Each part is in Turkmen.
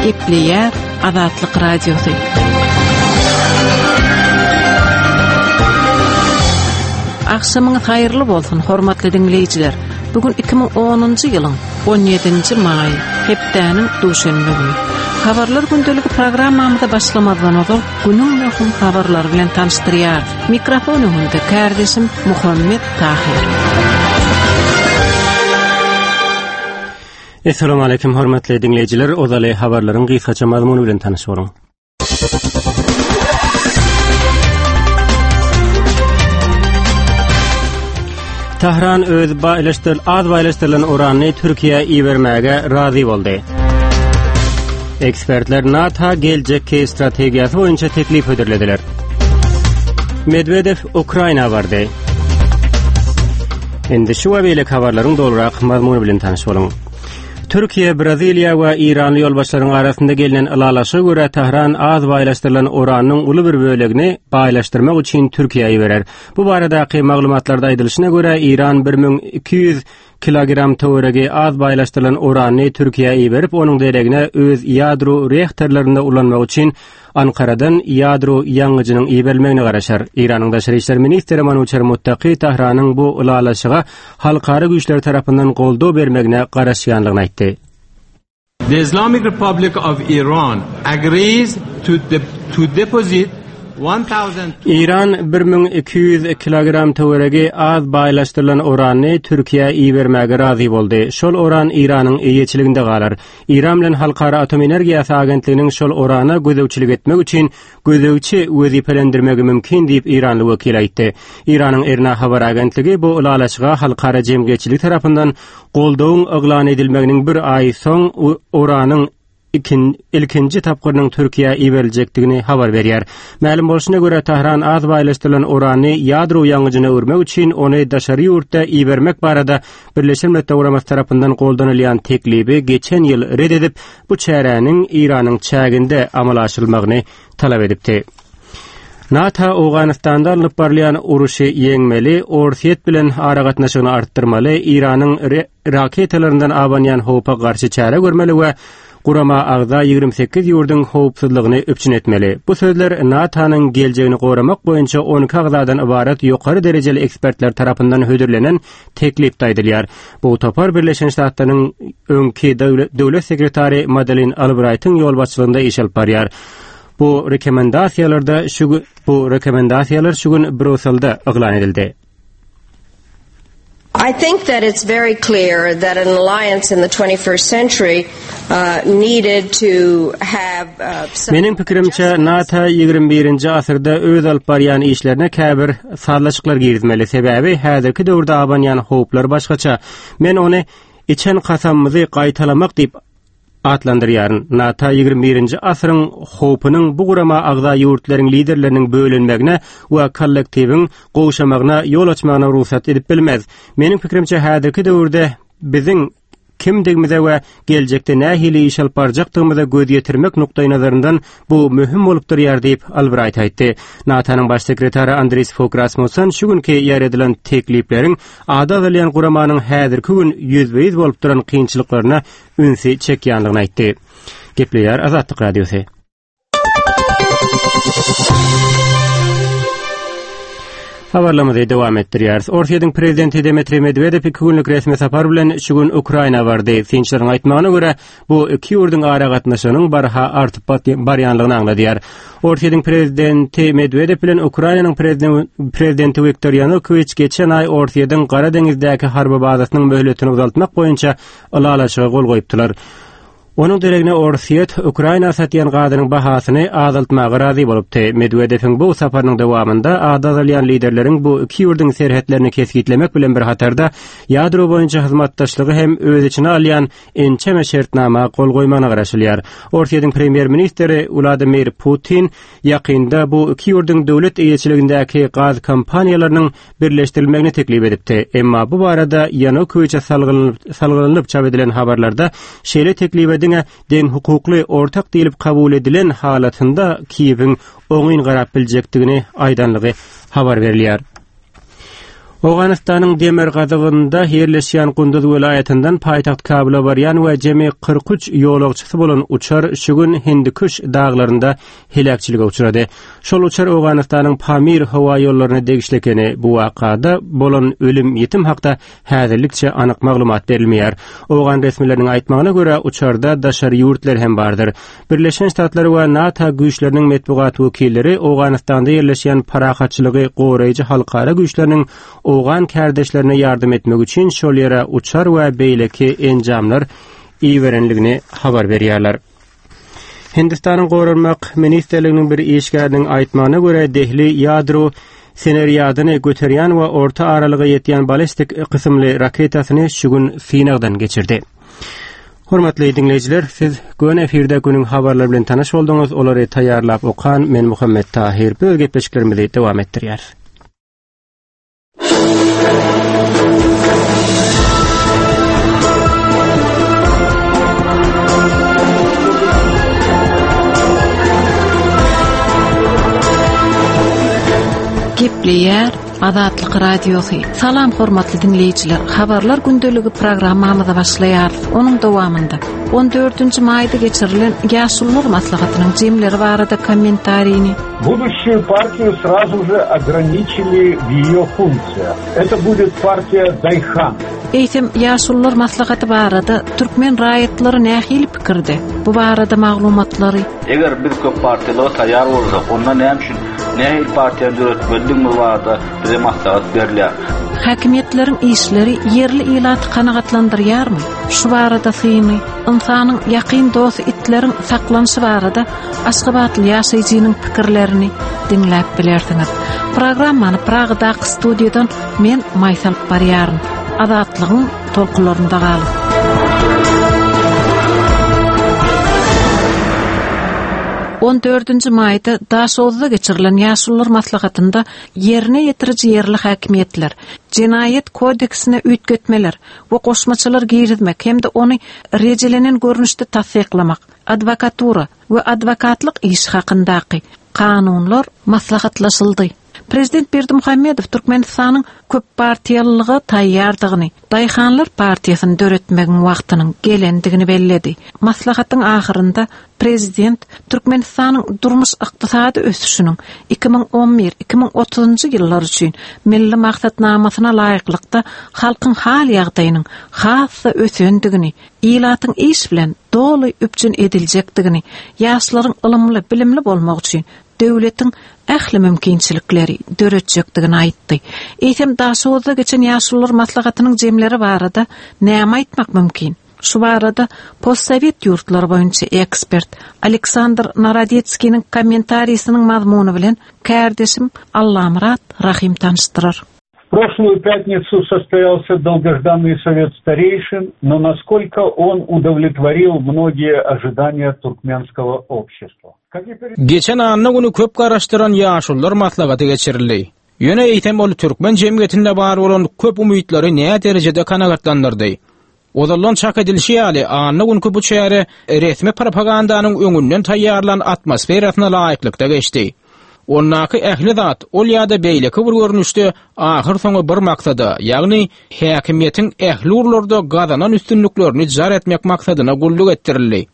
Gepleýär Azatlyk Radiosy. Agşamyňyz haýyrly bolsun, hormatly diňleýjiler. Bu gün 2010-njy ýylyň 17-nji maýy, hepdäniň duşenbe güni. Habarlar gündeligi programmamyza başlamazdan ozal günüň möhüm habarlary bilen tanyşdyrýarys. Mikrofon öňünde kärdeşim Muhammet Tahyr. Essalamu aleýkum hormatly diňleýjiler, ozaly habarlaryň gysgaça mazmuny bilen tanyş boluň. Tahran öz baýlaşdyr az baýlaşdyrylan uranyny Türkiýä ibermäge razy boldy. Ekspertler NATO geljekki strategiýasy boýunça teklip hödürlediler. Medwedew Ukraina bardy. Indi şu we beýleki habarlaryň dolurak mazmuny bilen tanyş boluň. Türkiýe, Braziliýa we Eýranly ýolbaşçylaryň arasynda gelnen ylalaşyga görä Tähran az baýlaşdyrylan uranyň uly bir bölegini baýlaşdyrmak üçin Türkiýä iberer. Bu baradaky maglumatlarda aýdylyşyna görä, Eýran 1200 kilogram töweregi az baýlaşdyrylan uranyny Türkiýä iberip, onuň deregine öz ýadro reaktorlarynda ulanmak üçin Ankaradan ýadro ýangyjynyň iberilmegine garaşar. Eýranyň daşary işler ministri Manuçer Muttaki Tähranyň bu ylalaşyga halkara güýçleri tarapyndan goldaw bermegine garaşýandygyny aýtdy. The Islamic Republic of Iran agrees to, de to deposit Eýran 1200 kilogram töweregi az baýlaşdyrylan uranyny Türkiýä ibermäge razy boldy. Şol uran Eýranyň eýeçiliginde galar. Eýran bilen Halkara atom energiýasy agentliginiň şol urana gözegçilik etmek üçin gözegçi wezipelendirmegi mümkin diýip, eýranly wekil aýtdy. Eýranyň IRNA habar agentligi bu ylalaşyga halkara jemgyýetçiligi tarapyndan goldawyň yglan edilmeginiň bir aý soň uranyň ilkinji tapgyrynyň Türkiýä iberiljekdigini habar berýär. Mälim bolşuna görä, Tähran az baýlaşdyrylan urany ýadro ýangyjyna öwürmek üçin ony daşary ýurtda ibermek barada Birleşen Milletler Guramasy tarapyndan goldanylýan teklibi geçen ýyl ret edip, bu çäräniň Eýranyň çäginde amala aşyrylmagyny talap edipdi. NATO Owganystanda alnyp barylýan uruşy ýeňmeli, Orsýet bilen aragatnaşygyny artdyrmaly, Eýranyň raketalaryndan abanýan howpa garşy çäre görmeli we gurama agza 28 ýurduň howpsuzlygyny üpjün etmeli. Bu sözler NATO-nyň geljegini goramak boýunça 12 agzadan ybarat ýokary derejeli ekspertler tarapyndan hödürlenen teklipde aýdylýar. Bu topar Birleşen Ştatlaryň öňki döwlet sekretary Madelin Albraýtyň ýolbaşçylygynda iş alyp barýar. Bu rekomendasiýalarda şu bu rekomendasiýalar şu gün Brýusselde yglan edildi. I think that it's very clear that an alliance in the 21st century uh, needed to have uh, Meniň pikirimçe NATO 21-nji asyrda öz alyp barýan işlerine käbir sazlaşyklar girizmeli. Sebäbi häzirki döwürde abanýan howplar başgaça. Men ony içen kasamymyzy gaýtalamak diýip atlandyrýaryn. NATO 21-nji asyryň howpunyň bu gurama agza ýurtlaryň liderleriniň bölünmegine we kollektiwiň gowşamagyna ýol açmagyna rugsat edip bilmez. Meniň pikirimçe häzirki döwürde biziň kimdigimize we geljekde nähili iş alyp barjakdygymyza göz ýetirmek nukdaýnazaryndan bu möhüm bolup durýar diýip, Albraýt aýtdy. NATO-nyň baş sekretary Andris Fog Rasmussen şu günki ýaýradylan teklipleriň ady agzalýan guramanyň häzirki gün ýüzbe-ýüz bolup duran kynçylyklaryna ünsi çekýändigini aýtdy. Gepleýär Azatlyk Radiosy. Habarlarymyzy dowam etdirýäris. Orsýetiň prezidenti Dmitriý Medwedew iki günlük resmi sapar bilen şu gün Ukraina bardy. Synçylaryň aýtmagyna görä, bu iki ýurduň aragatnaşygynyň barha artyp barýanlygyny aňladýar. Orsýetiň prezidenti Medwedew bilen Ukrainanyň prezidenti Wiktor Ýanukowiç geçen aý Orsýetiň Gara deňizdäki harby bazasynyň möhletini uzaltmak boýunça ylalaşyga gol goýupdylar. Onuň deregine Orsýet Ukraina satýan gazynyň bahasyny azaltmaga razy bolupdy. Medwedewiň bu saparynyň dowamynda ady agzalýan liderleriň bu iki ýurduň serhetlerini kesgitlemek bilen bir hatarda ýadro boýunça hyzmatdaşlygy hem öz içine alýan ençeme şertnama gol goýmagyna garaşylýar. Orsýetiň premýer-ministri Wladimir Putin ýakynda bu iki ýurduň döwlet eýeçiligindäki gaz kompaniýalarynyň birleşdirilmegini teklip edipdi. Emma bu barada Ýanukowiçe salgylanyp çap edilen habarlarda şeýle teklibe diňe deňhukukly ortak diýlip kabul edilen halatynda Kiýewiň oňyn garap biljekdigini aýdanlygy habar berilýär. Owganystanyň demirgazygynda ýerleşýän Gunduz welaýatyndan paýtagt Kabula barýan we jemi 43 ýolagçysy bolan uçar şu gün Hindikuş daglarynda heläkçilige uçrady. Şol uçar Owganystanyň Pamir howa ýollaryna degişli ekeni. Bu wakada bolan ölüm-ýitim hakda häzirlikçe anyk maglumat berilmeýär. Owgan resmileriniň aýtmagyna görä, uçarda daşary ýurtlar hem bardyr. Birleşen Ştatlar we NATO güýçleriniň metbugat wekilleri Owganystanda ýerleşýän parahatçylygy goraýjy halkara güýçleriniň owgan kärdeşlerine ýardam etmek üçin şol ýere uçar we beýleki enjamlar iberenligini habar berýärler. Hindistanyň Goranmak ministrliginiň bir işgäriniň aýtmagyna görä, Dehli ýadro senerýadyny göterýän we orta aralyga ýetýän ballistik kysymly raketasyny şu gün synagdan geçirdi. Hormatly diňleýjiler, siz göni efirde günüň habarlary bilen tanyş bolduňyz. Olary taýýarlap okan men Muhammet Tahir. Biz gepleşiklerimizi dowam etdirýäris. Gepleýär Azatlyk Radiosy. Salam hormatly diňleýjiler. Habarlar gündeligi programmamyza başlaýarys. Onuň dowamynda 14-nji maýda geçirilen Ýaşulular maslahatynyň jemleri barada kommentarini, Будущую партию сразу же ограничили в ее функциях. Это будет партия Дайхан. Eýsem, Ýaşulular maslahaty barada türkmen raýatlary nähili pikirde? Bu barada maglumatlary Eger biz köp partiýalyga taýýar bolsak, onda näme üçin nähili partiýany döretmelidigimiz barada bize maslahat berilýär. Häkimiýetleriň işleri ýerli ilaty kanagatlandyrýarmy? Şu barada syny, ynsanyň ýakyn dosty itleriň saklanyşy barada aşgabatly ýaşaýjynyň pikirlerini diňläp bilersiňiz. Programmany Pragadaky studiýadan men Maýsa alyp barýaryn. Azatlygyň tolkunlarynda galyň. On dördünji maýda Daşoguzda geçirilen Ýaşulular maslahatynda ýerine ýetiriji ýerli häkimiýetler, Jenaýat kodeksine üýtgetmeler we goşmaçalar girizmek hem-de ony rejelenen görnüşde tassyklamak, adwokatura we adwokatlyk işi hakyndaky Kanunlar maslahatlaşyldy. Prezident Berdimuhamedow Türkmenistanyň köppartiýalylyga taýýardygyny, Daýhanlar partiýasyny döretmegiň wagtynyň gelendigini belledi. Maslahatyň ahyrynda prezident Türkmenistanyň durmuş-ykdysady ösüşiniň 2011, 2030-njy ýyllar üçin Milli maksatnamasyna laýyklykda halkyň hal-ýagdaýynyň has-da ösendigini, ilatyň iş bilen doly üpjün ediljekdigini, ýaşlaryň ylymly, bilimli bolmagy üçin döwletiň ähli mümkinçilikleri döretjekdigini aýtdy. Eýsem, Daşoguzda geçen Ýaşulular maslahatynyň jemleri barada näme aýtmak mümkin? Şu barada postsowet ýurtlary boýunça ekspert Aleksandr Narodetskiniň kommentarisiniň mazmuny bilen kärdeşim Allamyrat Rahym tanyşdyrar. В прошлую пятницу состоялся долгожданный совет старейшин, но насколько он удовлетворил многие ожидания туркменского общества? Geçen anna güni köp garaşdyran Ýaşulular maslahaty geçirildi. Ýöne eýsem ol türkmen jemgyýetinde bar bolan köp umytlary näderejede kanagatlandyrdy? Ozaldan çak edilişi ýaly, anna günki bu çäre resmi propagandanyň öňünden taýýarlan atmosferasyna laýyklykda geçdi. Ondaky ähli zat ol ýa-da beýleki bir görnüşde ahyrsoňy bir maksada, ýagny häkimiýetiň ähli ugurlarda gazanan üstünliklerini jar etmek maksadyna gulluk etdirildi.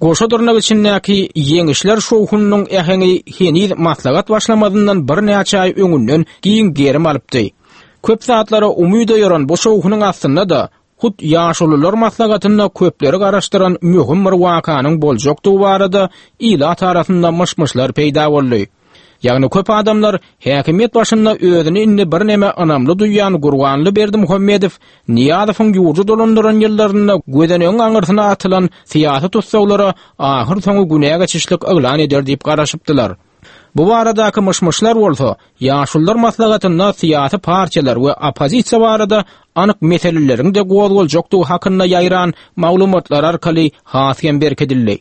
Goşa dyrnak içindäki ýeňişler şowhunynyň äheňi heniz maslahat başlamazyndan birnäçe aý öňünden giň gerim alypdy. Köp zatlara umyt oýaran bu şowhunyň astynda-da hut Ýaşulular maslahatynda köpleri garaşdyran möhüm bir wakanyň boljakdygy barada ilat arasynda myş-myşlar peýda boldy. Ýagny köp adamlar häkimiýet başynda özüni indi birneme ynamly duýýan Gurbanly Berdimuhamedow Nyýazowyň ýurdy dolandyran ýyllarynda gözenegiň aňyrsyna atylan syýasy tussaglara ahyrsoňy günä geçişlik yglan eder diýip garaşypdylar. Bu baradaky myş-myşlar bolsa, Ýaşulular maslahatynda syýasy partiýalar we oppozisiýa barada anyk meseleleriň-de gozgaljakdygy hakynda ýaýran maglumatlar arkaly has hem berkidildi.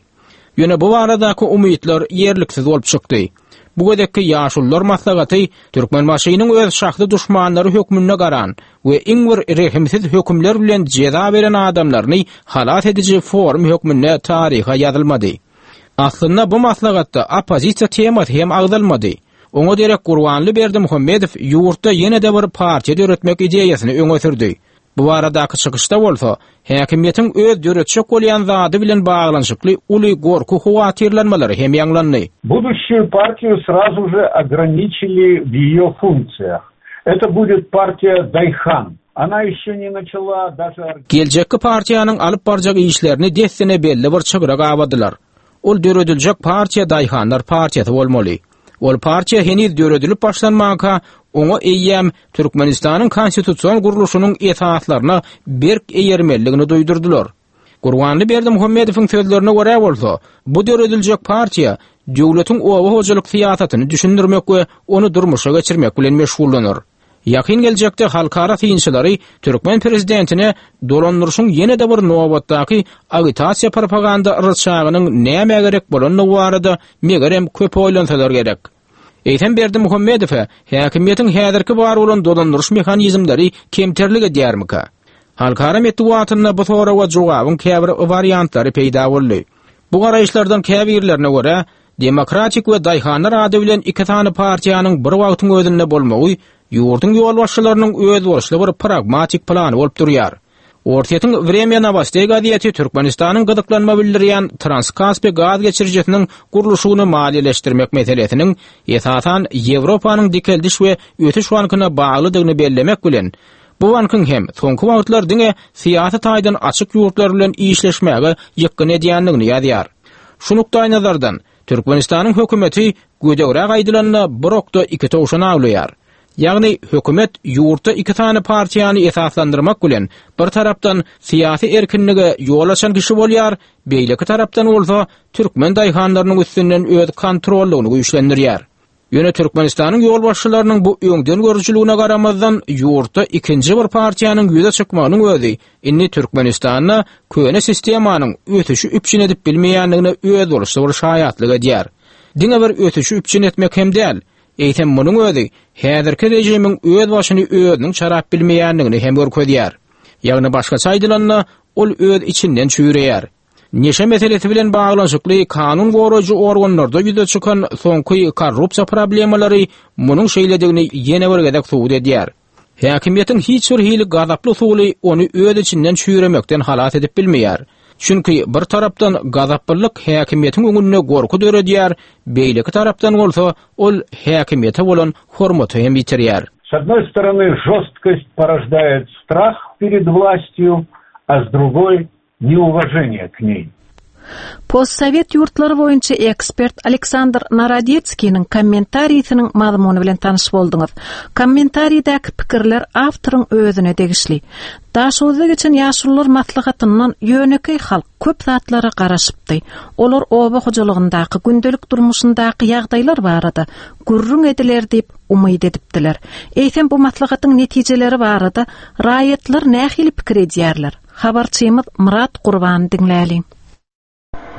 Ýöne bu baradaky umytlar ýerliksiz bolup çykdy. Bu gezekki Ýaşulular maslahaty Türkmenbaşynyň öz şahsy duşmanlary hökmünde garan we iň bir rehimsiz hökümler bilen jeza beren adamlaryny halas ediji forum hökmünde taryha ýazylmady. Aslynda bu maslahatda oppozisiýa temasy hem agzalmady. Oňa derek Gurbanly Berdimuhamedow ýurtda ýene-de bir partiýa döretmek ideýasyny öňe sürdi. Bu baradaky çykyşda bolsa, häkimiýetiň öz döretjek bolýan zady bilen baglanyşykly uly gorky-howatyrlanmalary hem ýaňlandy. Будущую партию сразу же ограничили в ее функциях. Это будет партия Дайхан. Она еще не начала даже... Geljekki partiýanyň alyp barjak işlerini dessine belli bir çygra gabadylar. Ol dörediljek partiýa Daýhanlar partiýasy bolmaly. Ol partiýa heniz döredilip başlanmanka, oňa eýýäm Türkmenistanyň konstitusion gurluşynyň esaslaryna berk eýermelidigini duýdurdylar. Gurbanly Berdimuhamedowyň sözlerine görä bolsa, bu dörediljek partiýa döwletiň oba hojalyk syýasatyny düşündirmek we ony durmuşa geçirmek bilen meşgullanar. Ýakyn geljekde halkara synçylary türkmen prezidentine dolandyryşyň ýene-de bir nobatdaky agitasiýa-propaganda ryçagynyň nämä gerek bolandygy barada megerem köp oýlansalar gerek. Eýsem Berdimuhamedowa häkimiýetiň häzirki bar bolan dolandyryş mehanizmleri kemterlik edýärmika? Halkara metbugatynda bu soraga jogabyň käbir wariantlary peýda boldy. Bu garaýyşlardan käbirlerine görä, Demokratik we Daýhanlar ady bilen iki sany partiýanyň bir wagtyň özünde bolmagy ýurduň ýolbaşçylarynyň özboluşly bir pragmatik plany bolup durýar. Orsýetiň Wremýa Nowosteý gazeti Türkmenistanyň gyzyklanma bildirýän Transkaspi gaz geçirijisiniň gurluşygyny maliýeleşdirmek meselesiniň esasan Ýewropanyň Dikeldiş we ösüş bankyna baglydygyny bellemek bilen, bu bankyň hem soňky wagtlar diňe syýasy taýdan açyk ýurtlar bilen işleşmäge ýykgyn edýändigini ýazýar. Şu nukdaýnazardan, Türkmenistanyň hökümeti gödegräk aýdylanda bir okda iki towşan awlaýar. Ýagny, hökümet ýurtda iki sany partiýany esaslandyrmak bilen, bir tarapdan syýasy erkinlige ýol açan kişi bolýar, beýleki tarapdan bolsa türkmen daýhanlarynyň üstünden öz kontrollygyny güýçlendirýär. Ýöne Türkmenistanyň ýolbaşçylarynyň bu öňdengörüjiligine garamazdan, ýurtda ikinji bir partiýanyň ýüze çykmagynyň özi indi Türkmenistanda köne sistemanyň ösüşi üpjün edip bilmeýändigine özboluşly bir şaýatlyk edýär. Diňe bir ösüşi üpjün etmek hem däl, eýsem munuň özi häzirki režimiň öz başyny özüniň çarap bilmeýändigini hem görkezýär. Ýagny başgaça aýdylanda, ol öz içinden çüýreýär. Neşe meselesi bilen baglanyşykly kanun goraýjy organlarda ýüze çykan soňky korrupsiýa problemalary munuň şeýledigini ýene bir gezek subut edýär. Häkimiýetiň hiç bir hili gazaply usuly ony öz içinden çüýremekden halas edip bilmeýär. Çünki bir tarapdan gazaplylyk häkimiýetiň öňünde gorky döredýär, beýleki tarapdan bolsa ol häkimiýete bolan hormaty hem ýitirýär. S одной стороны, жесткость порождает страх перед властью, а с другой неуважение к ней. Postsowet ýurtlary boýunça ekspert Aleksandr Narodetskiniň kommentarisiniň mazmuny bilen tanyş bolduňyz. Kommentaridäki pikirler awtoryň özüne degişli. Daşoguzda geçen ýaşulular maslahatyndan ýönekeý halk köp zatlara garaşypdy. Olar oba hojalygyndaky, gündelik durmuşyndaky ýagdaýlar barada gürrüň ediler diýip umyt edipdiler. Eýsem bu maslahatyň netijeleri barada raýatlar nähili pikir edýärler? Habarçymyz Myrat Gurbany diňläliň.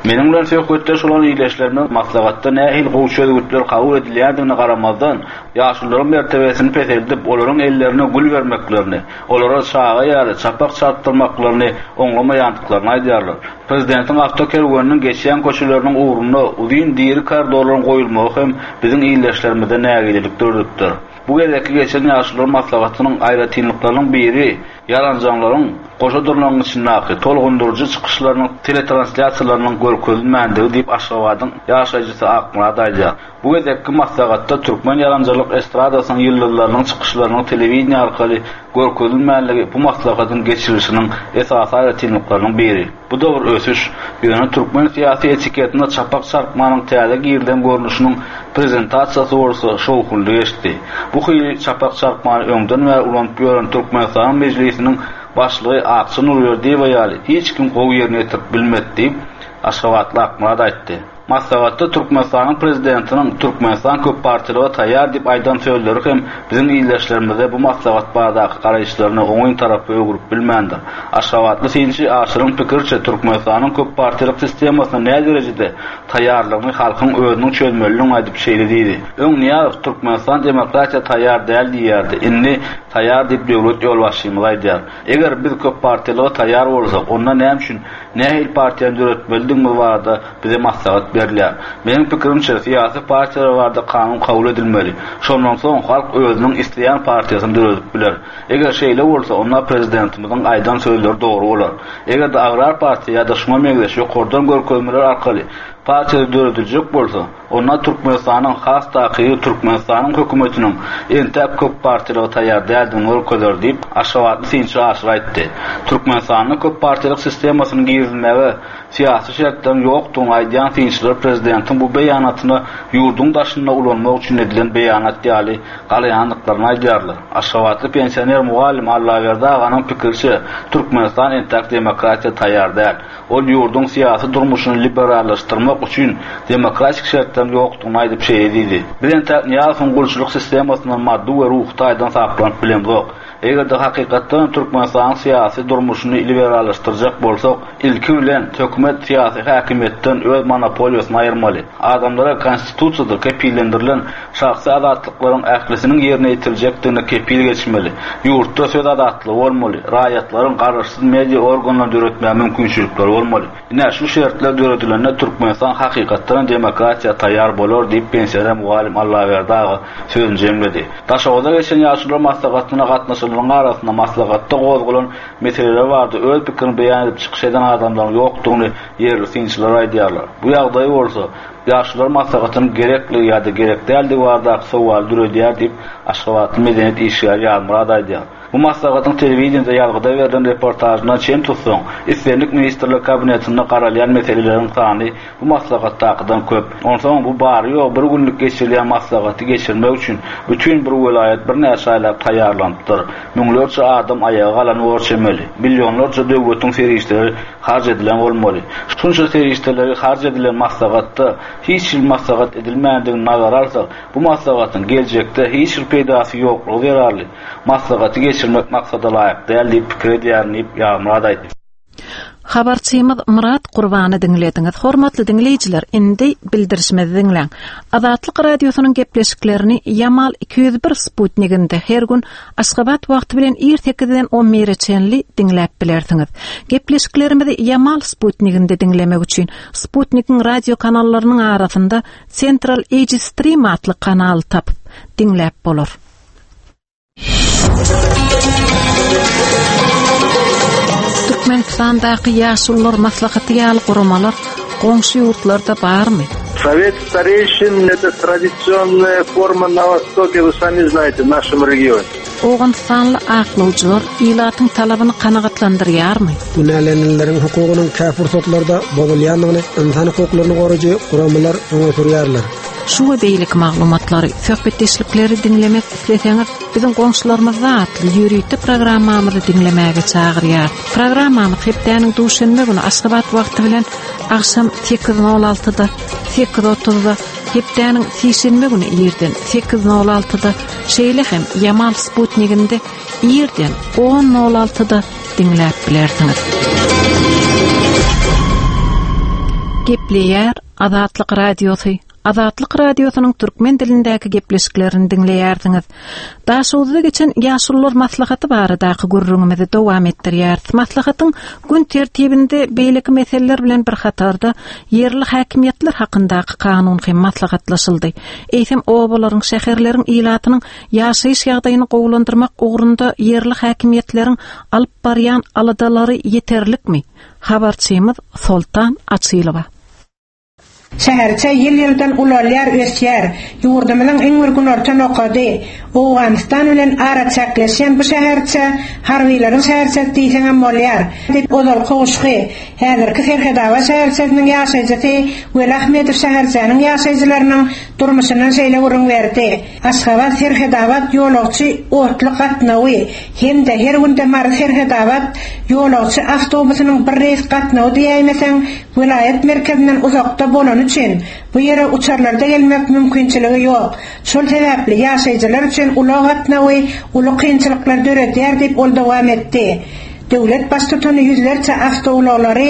Meniň bilen söhbetdeş bolan ildeşlerimiz maslahatda nähili gowy çözgütler kabul edilýändigine garamazdan, ýaşulularyň mertebesini peseldip, olaryň ellerine gül bermeklerini, olara çaga ýaly çapak çarpdyrmaklaryny oňlamaýandyklaryny aýdýarlar. Prezidentiň awtokerweniniň geçýän köçeleriniň ugrunda uzyn diri koridorlaryň goýulmagy hem biziň ildeşlerimizde nägilelik döredipdir. Bu gezekki geçen ýaşulular maslahatynyň aýratynlyklarynyň biri ýaranjaňlaryň goşa durnagyň içindäki tolgundyryjy çykyşlarynyň teletranslýasiýalarynyň görkezilmändigi diýip Aşgabadyň ýaşaýjysy Akmyrat aýdýar. Bu gezekki maslahatda türkmen ýaranjalyk estradasynyň ýyldyzlarynyň çykyşlarynyň telewideniýe arkaly görkezilmänligi bu maslahatyň geçirilişiniň esasy aýratynlyklarynyň biri. Bu-da bir ösüş. Ýöne türkmen syýasy etiketine çapak çarpmanyň täze girilen görnüşiniň prezentasiýasy bolsa şowhunly geçdi. Bu hili çapak çarpmany öňden bäri ulanyp ýören Türkmenistanyň Mejlisiniň Başlygy Akja Nurberdiýewa ýaly hiç kim gowy ýerine ýetirip bilmedi diýip, aşgabatly Akmyrat aýtdy. Maslahatda Türkmenistanyň Prezidentiniň Türkmenistan köppartiýalyga taýýar diýip aýdan sözleri hem biziň ildeşlerimizde bu maslahat baradaky garaýyşlaryny oňyn tarapa öwrüp bilmändir. Aşgabatly synçy Aşyryň pikiriçe, Türkmenistanyň köppartiýalyk sistemasyna näderejede taýýarlygyny halkyň özüniň çözmelidigini aýdyp şeýle diýdi, Öň Nyýazow Türkmenistan demokratiýa taýýar däl diýýärdi, indi taýýar diýip döwlet ýolbaşçymyz aýdýar. Eger biz köppartiýalyga taýýar bolsak, onda näme üçin nähili partiýany döretmelidigimiz barada bize maslahat ber. berilýär. Meniň pikirimçe, syýasy partiýalar barada kanun kabul edilmeli. Şondan soň halk özüniň isleýän partiýasyny döredip biler. Eger şeýle bolsa, onda prezidentimiziň aýdan sözleri dogry bolar. Eger-de agrar partiýa ýa-da şuňa meňzeş ýokardan görkezmeler arkaly partiýa dörediljek bolsa, onda Türkmenistanyň, has takygy Türkmenistanyň hökümetiniň entäk köp partiýalyga taýýar däldigini görkezer diýip, aşgabatly synçy Aşyr aýtdy. Türkmenistanda köp partiýalyk sistemasynyň girizilmegi syýasy şertleriň ýokdugyny aýdýan synçylar prezidentiň bu beýanatyna ýurduň daşynda ulanmak üçin edilen beýanat ýaly galaýandyklaryny aýdýarlar. Aşgabatly pensioner mugallym Allaberdi aganyň pikiriçe, Türkmenistan entäk demokratiýa taýýar däl. Ol ýurduň syýasy durmuşyny liberallaşdyrmak üçin demokratik şertleriň ýokdugyny aýdyp şeýle diýdi, Biz entäk Nyýazowyň gulçulyk sistemasyndan maddy we ruhy taýdan saplanyp bilemzok. Eger-de hakykatdanam Türkmenistanyň syýasy durmuşyny liberallaşdyrjak bolsak, ilki bilen hökümet syýasy häkimiýetden öz monopoliýasyny aýyrmaly. Adamlara Konstitusiýada kepillendirilen şahsy azatlyklaryň ählisiniň ýerine ýetiriljekdigine kepil geçmeli. Ýurtda söz azatlygy bolmaly, raýatlaryň garaşsyz media organlaryny döretmäge mümkinçilikleri bolmaly. Ine, şu şertler döredilende Türkmenistan hakykatdanam demokratiýa taýýar bolar diýip, pensioner mugallym Allaberdi aga sözüni jemledi. Daşoguzda geçen ýaşulular maslahatyna gatnaşanlaryň arasynda maslahatda gozgalan meseleler barada öz pikirini beýan edip çykyş eden adamlaryň ýokdugyny ýerli synçylar aýdýarlar. Bu ýagdaý bolsa, ýaşulular maslahatynyň gerekligi ýa-da gerek däldigi baradaky sowaly döredýär diýip, aşgabatly medeniýet işgäri Ýazmyrat aýdýar. Bu maslahatyň telewideniýede ýazgyda berlen reportažyndan çen tutsaň, islendik Ministrler Kabinetinde garalýan meseleleriň sany bu maslahatdakydan köp. Onsoňam bu bary-ýogy bir günlük geçirilýän maslahaty geçirmek üçin bütin bir welaýat birnäçe aýlap taýýarlanypdyr. Müňlerçe adam aýaga galan bor çemeli. Millionlarça döwletiň serişdeleri harç edilen bolmaly. Şunça serişdeleri harç edilen maslahatda hiç hili maslahat edilmändigini nazara alsak, bu maslahatyň geljekde hiç bir peýdasy ýoklugy zerarly, maslahaty geçirmek maksada laýyk däl diýip pikir edýärin diýip, Ýazmyrat aýtdy. Habarçymyz Myrat Gurbany diňlediňiz. Hormatly diňleýjiler, indi bildirişimizi diňläň. Azatlyk Radiosynyň gepleşiklerini Ýamal 201 sputniginde her gün Aşgabat wagty bilen ir sekizden on bire çenli diňläp bilersiňiz. Gepleşiklerimizi Ýamal sputniginde diňlemek üçin sputnigiň radio kanallarynyň arasynda Central Asia Stream atly kanaly tapyp, diňläp bolar. Türkmenistandaky Ýaşulular maslahaty ýaly guramalar goňşy ýurtlarda barmy? Sowet stareýşin это tradisionnaýa forma na wostoke, вы sami znaýte, w našem regione. Owganystanly aklawjylar ilatyň talabyny kanagatlandyrýarmy? Günälenenleriň hukugynyň kä pursatlarda bozulýandygyny ynsan hukuklaryny goraýjy guramalar öňe sürýärler. Şu we beýleki maglumatlary, söhbetdeşlikleri diňlemek isleseňiz, biziň goňşularymyzda atly ýörite programmamyzy diňlemäge çagyrýarys. Programmamyz hepdäniň duşenbe güni Aşgabat wagty bilen agşam sekiz nol altyda, sekiz otuzda, hepdäniň sişenbe güni irden sekiz nol altyda, şeýle hem Ýamal sputniginde irden on nol altyda diňläp bilersiňiz. Gepleýär Azatlyk Radiosy, Azatlyk Radiosynyň türkmen dilindäki gepleşiklerini diňleýärsiňiz. Daşoguzda geçen Ýaşulular maslahaty baradaky gürrüňimizi dowam etdirýäris. Maslahatyň gün tertibinde beýleki meseleler bilen bir hatarda ýerli häkimiýetler hakyndaky kanun hem maslahatlaşyldy. Eýsem, obalaryň, şäherleriň ilatynyň ýaşaýyş ýagdaýyny gowulandyrmak ugrunda ýerli häkimiýetleriň alyp barýan aladalary ýeterlikmi? Habarçymyz Soltan Açylowa. Şäherçe ýyl-ýyldan ulalýar, ösýär. Ýurdumyzyň iň bir günorta nokady, Owganystan bilen araçäkleşýän bu şäherçä harbylaryň şäherçesi diýseňem bolýar, diýip, ozalky Guşgy, häzirki Serhedabat şäherçesiniň ýaşaýjysy Weli Ahmedow şäherçäniň ýaşaýjylarynyň durmuşyndan şeýle gürrüň berdi. Aşgabat, Serhedabat ýolagçy otly gatnawy hem-de her günde Mary, Serhedabat ýolagçy awtobusynyň bir reýs gatnawy diýäýmeseň, welaýat merkezinden uzakda bolany üçin, bu ýere uçarlarda gelmek mümkinçiligi ýok. Şol sebäpli ýaşaýjylar üçin ulag gatnawy uly kynçylyklar döredýär diýip, ol dowam etdi. Döwlet Baştutany ýüzlerçe awtoulaglary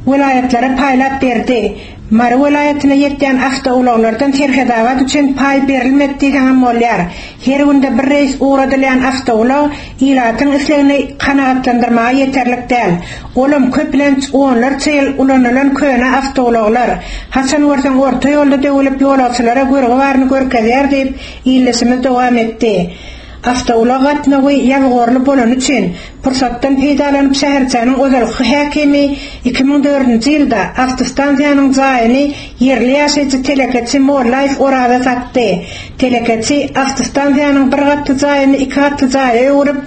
welaýatlara paýlap berdi. Mary welaýatyna ýetýän awtoulaglardan Serhetabat üçin paý berilmedi diýseňem bolýar. Her günde bir reýs ugradylýan awtoulag ilatyň islegini kanagatlandyrmaga ýeterlik däl. Olam köplenç onlarça ýyl ulanylan köne awtoulaglar. Haçan görseň orta ýolda döwülip ýolagçylara görgi baryny görkezýär diýip, ildeşimiz dowam etdi. Awtoulag gatnawy ýabygorly bolany üçin, pursatdan peýdalanyp şäherçäniň ozalky häkimi 2004-nji ýylda awtostansiýanyň jaýyny ýerli ýaşaýjy telekeçi Mollaýew Oraza satdy. Telekeçi awtostansiýanyň bir gatly jaýyny iki gatly jaýa öwrüp,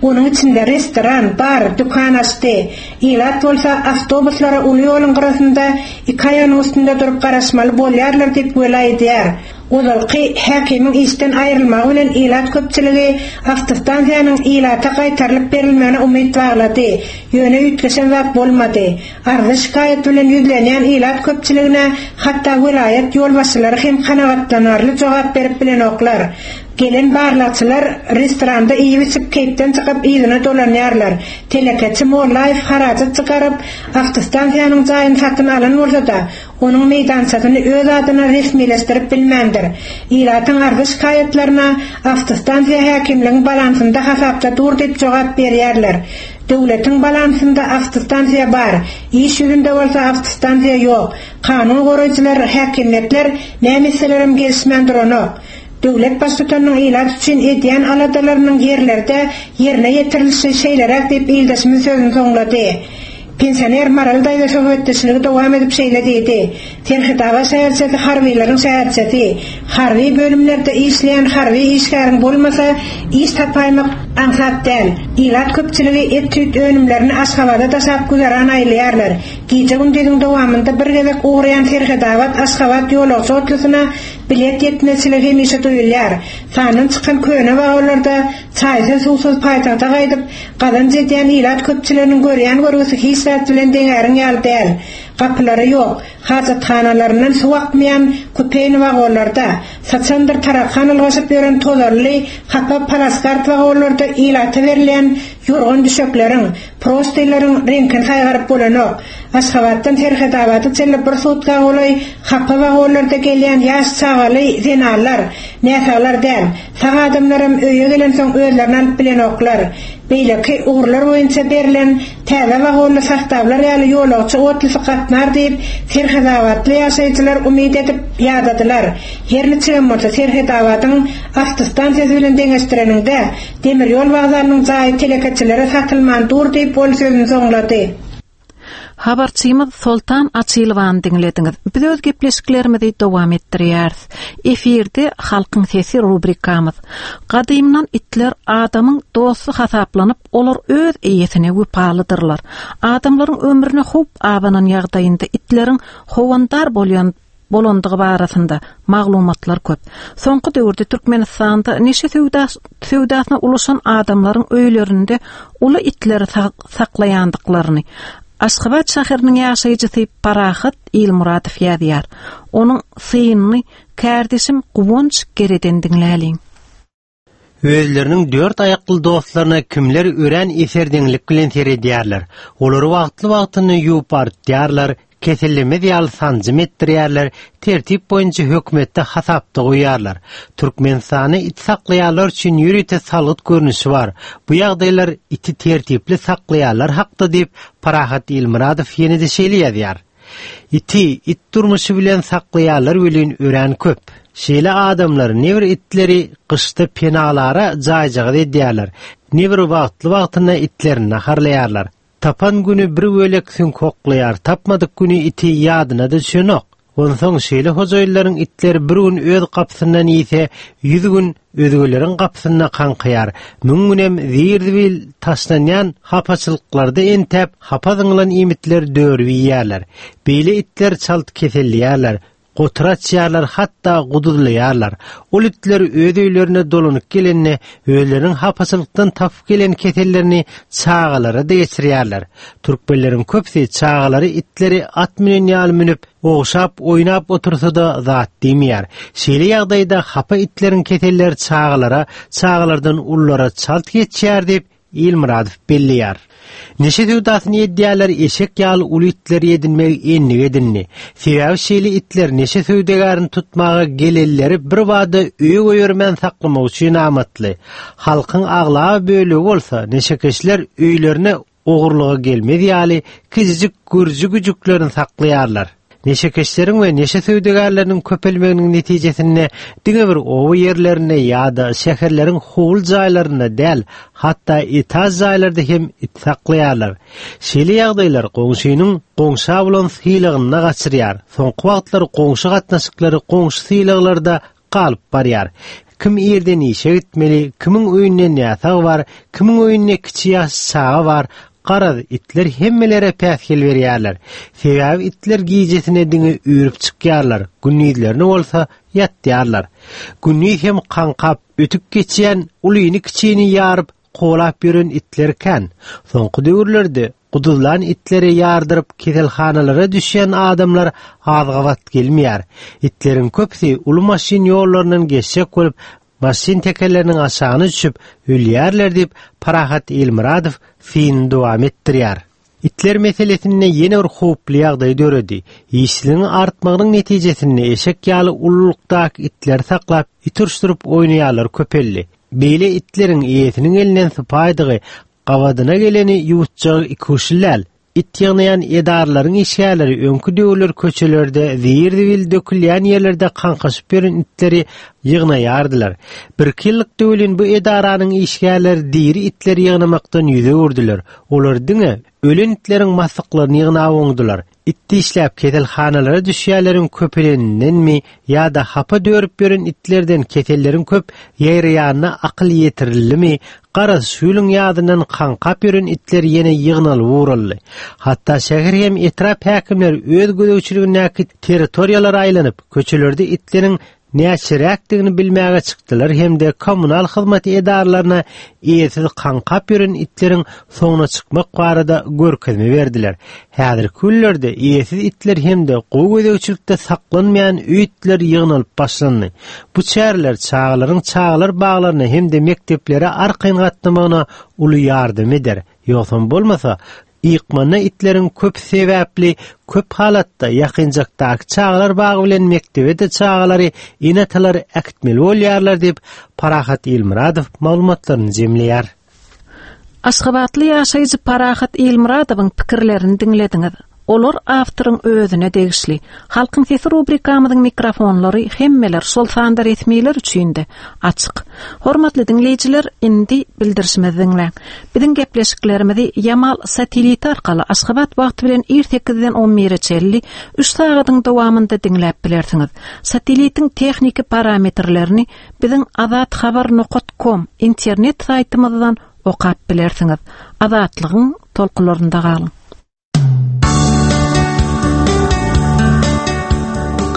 onuň içinde restoran, bar, dükan açdy. Ilat bolsa awtobuslara uly ýoluň gyrasynda iki aýagynyň üstünde durup garaşmaly bolýarlar diýip wela edýär. Ozalky häkimiň işden aýrylmagy bilen ilat köpçüligi awtostansiýanyň ilata gaýtarylyp berilmegine umyt baglady. Ýöne üýtgeşen zat bolmady. Arza-şikaýat bilen ýüzlenýän ilat köpçüligine hatda welaýat ýolbaşçylary hem kanagatlanarly jogap berip bilenoklar. Gelen barlagçylar restoranda iýip-içip keýpden çykyp yzyna dolanýarlar. Telekeçi Mollaýew harajat çykaryp, awtostansiýanyň jaýyny satyn alan bolsa-da, onuň meýdançasyny öz adyna resmileşdirip bilmändir. Ilatyň arza-şikaýatlaryna awtostansiýa häkimligiň balansynda hasapda dur diýip jogap berýärler. Döwletiň balansynda awtostansiýa bar, iş ýüzünde bolsa awtostansiýa ýok. Kanun goraýjylar, häkimiýetler näme etselerem gelişmän duranok. Döwlet Baştutanynyň ilat üçin edýän aladalarynyň ýerlerde ýerine ýetirilişi şeýleräk diýip ildeşimiz sözüni soňlady. Pensioner Maral daýza söhbetdeşligi dowam edip şeýle diýdi, Serhetabat şäherçesi harbylaryň şäherçesi. Harby bölümlerde işleýän harby işgäriň bolmasa, iş tapaýmak aňsat däl. Ilat köpçüligi et-süýt önümlerini Aşgabada daşap güzeran aýlaýarlar. Gije-gündiziň dowamynda bir gezek ugraýan Serhetabat-Aşgabat ýolagçy otlusyna bilet ýetmezçiligi hemişe duýulýar. Sandan çykan köne wagonlarda çaýsyz-suwsuz paýtagta gaýdyp, Gazanç edýän ilat köpçüliginiň görýän görgüsi hiç zat bilen deňäriň ýaly däl. Gapylary ýok, hajathanalaryndan suw akmaýan kupeýni wagonlarda, syçandyr tarakan ylgaşyp ýören tozanly, hapa palaskart wagonlarda ilata berilýän ýorgan-düşekleriň, prostynlaryň reňkini saýgaryp bolanok. Aşgabatdan Serhedabada çenli bir sutka golaý hapa wagonlarda gelýän ýaş çagaly zenanlar, näsaglar däl, Sag adamlaram öýe gelensoň özlerini alyp bilenoklar. Beýleki ugurlar boýunça berlen täze wagonly sostawlar ýaly ýolagçy otlysy gatnar diýip, serhetabatly ýaşaýjylar umyt edip ýadadylar. Her niçigem bolsa, Serhetabadyň awtostansiýasy bilen deňeşdireniňde, demir ýol wokzalynyň jaýy telekeçilere satylman dur diýip, ol sözüni soňlady. Habarçymyz Soltan Açylowany diňlediňiz. Biz öz gepleşiklerimizi dowam etdirýäris. Efirde Halkyň sesi rubrikamyz. Gadymdan itler adamyň dosty hasaplanyp, olar öz eýesine wepalydyrlar. Adamlaryň ömrüne howp abanan ýagdaýynda itleriň howandar bolýan bolandygy barasynda maglumatlar köp. Soňky döwürde Türkmenistanda neşe söwdasyna ulaşan adamlaryň öýlerinde uly itleri saklaýandyklaryny Aşgabat şäheriniň ýaşaýjysy Parahat Ilmuradow ýazýar. Onuň synyny kärdeşim Guwanç Gereden diňläliň. Özleriniň dört aýakly dostlaryna kimler örän eserdeňlik bilen seredýärler. Olary wagtly-wagtynda ýuwup artýarlar, kesellemez ýaly sanjym etdirýärler, tertip boýunça hökümetde hasapda goýýarlar. Türkmenistanda it saklaýanlar üçin ýörite salgyt görnüşi bar. Bu ýagdaýlar iti tertipli saklaýanlar hakda diýip, Parahat Ilmyradow ýene-de şeýle ýazýar. Iti it durmuşy bilen saklaýanlar welin örän köp. Şeýle adamlar ne bir itleri gyşda penalara jaýjagaz edýärler, ne bir wagtly-wagtynda itlerini naharlaýarlar. Tapan güni bir bölek süňk oklaýar, tapmadyk güni iti ýadyna-da düşenok. Onsoň şeýle hojaýynlaryň itleri bir gün öz gapysyndan iýse, ýüz gün özgeleriň gapysynda kaňkaýar. Müň günem zir-zibil taşlanýan hapaçylyklarda entäp, hapa zyňylan iýmitleri dörüp iýýärler. Beýle itler çalt keselleýärler, gotur açýarlar, hatda guduzlaýarlar. Ol itler öz öýlerine dolanyp gelende, özleriniň hapaçylykdan tapyp gelen kesellerini çagalara-da geçirýärler. Türkmenleriň köpüsi çagalary itleri at münen ýaly münüp, ogşap, oýnap otursa-da zat diýmeýär. Şeýle ýagdaýda hapa itleriň keselleri çagalara, çagalardan ululara çalt geçýär diýip, Ilmyradow belleýär. Neşe söwdasyny edýänler eşek ýaly uly itleri edinmegi endik edindi. Sebäbi şeýle itler neşe söwdagärini tutmaga gelenleri birbada öýe goýbermän saklamak üçin amatly. Halkyň aglaba bölegi bolsa neşekeşler öýlerine ogurlyga gelmez ýaly kiçijik gürji güjüklerini saklaýarlar. Neşekeşleriň we neşe söwdagärleriniň köpelmeginiň netijesinde diňe bir oba ýerlerinde ýa-da şäherleriň howly jaýlarynda däl, hatda etaž jaýlarda hem it saklaýarlar. Şeýle ýagdaýlar goňşynyň goňşa bolan sylagyny gaçyrýar. Soňky wagtlar goňşy gatnaşyklary goňşy sylaglarda galyp barýar. Kim irden işe gitmeli, kimiň öýünde näsag bar, kimiň öýünde kiçi ýaş çaga bar, garaz, itler hemmelere päsgel berýärler. Sebäbi itler gijesine diňe üýrüp çykýarlar, gündizlerine bolsa ýatýarlar. Gündiz hem kaňkap, ötüp geçýän ulyny-kiçini ýaryp, kowalap ýören itler kän. Soňky döwürlerde guduzlan itleri ýardyryp keselhanalara düşýän adamlar az gabat gelmeýär. Itleriň köpüsi uly maşyn ýollaryndan geçjek bolup, maşyn tekerleriniň aşagyna düşüp, ölýärler diýip, Parahat Ilmyradow synyny dowam etdirýär. Itler meselesinde ýene bir howply ýagdaý döredi. Işsizligiň artmagynyň netijesinde eşek ýaly ululykdaky itleri saklap, it uruşdyryp oýnaýanlar köpeldi. Beýle itleriň eýesiniň elinden sypaýdygy, gabadyna geleni ýuwutjagy ikuçly däl. It ýygnaýan edaralaryň işgärleri öňki döwürler köçelerde, zir-zibil dökülýän ýerlerde kaňkaşyp ýören itleri ýygnaýardylar. Birki ýyllykda welin bu edaranyň işgärleri diri itleri ýygnamakdan ýüz öwürdiler. Olar diňe ölen itleriň maslyklaryny ýygnap oňdular. It dişläp keselhanalara düşýänleriň köpelenindenmi ýa-da hapa dörüp ýören itlerden keselleriň köp ýaýraýanyna akyl ýetirildimi, garaz, şu ýylyň ýazyndan kaňkap ýören itler ýene ýygnalyp ugraldy. Hatda şäher hem etrap häkimleri öz gözegçiligindäki territoriýalara aýlanyp, köçelerde itleriň näçeräkdigini bilmäge çykdylar hem-de kommunal hyzmat edaralaryna eýesiz kaňkap ýören itleriň soňuna çykmak barada görkezme berdiler. Häzirki günlerde eýesiz itler hem-de gowy gözegçilikde saklanmaýan öý itleri ýygnalyp başlandy. Bu çäreler çagalaryň çagalar baglaryna hem-de mekdeplere arkaýyn gatnamagyna uly ýardam eder. Ýogsam bolmasa, Ykmanda itleriň köp sebäpli köp halatda ýakynjakdaky çagalar bagy bilen mekdebe-de çagalary ene-atalar äkitmeli bolýarlar diýip, Parahat Ilmyradow maglumatlaryny jemleýär. Aşgabatly ýaşaýjy Parahat Ilmyradowyň pikirlerini diňlediňiz. Olar awtoryň özüne degişli. Halkyň sesi rubrikamyzyň mikrofonlary hemmeler, şol sanda resmiler üçin-de açyk. Hormatly diňleýjiler, indi bildirişimizi diňläň. Biziň gepleşiklerimizi Ýamal sateliti arkaly Aşgabat wagty bilen ir sekizden on bire çenli üç sagadyň dowamynda diňläp bilersiňiz. Satelitiň tehniki parametrlerini biziň azathabar nokat kom internet saýtymyzdan okap bilersiňiz. Azatlygyň tolkunlarynda galyň!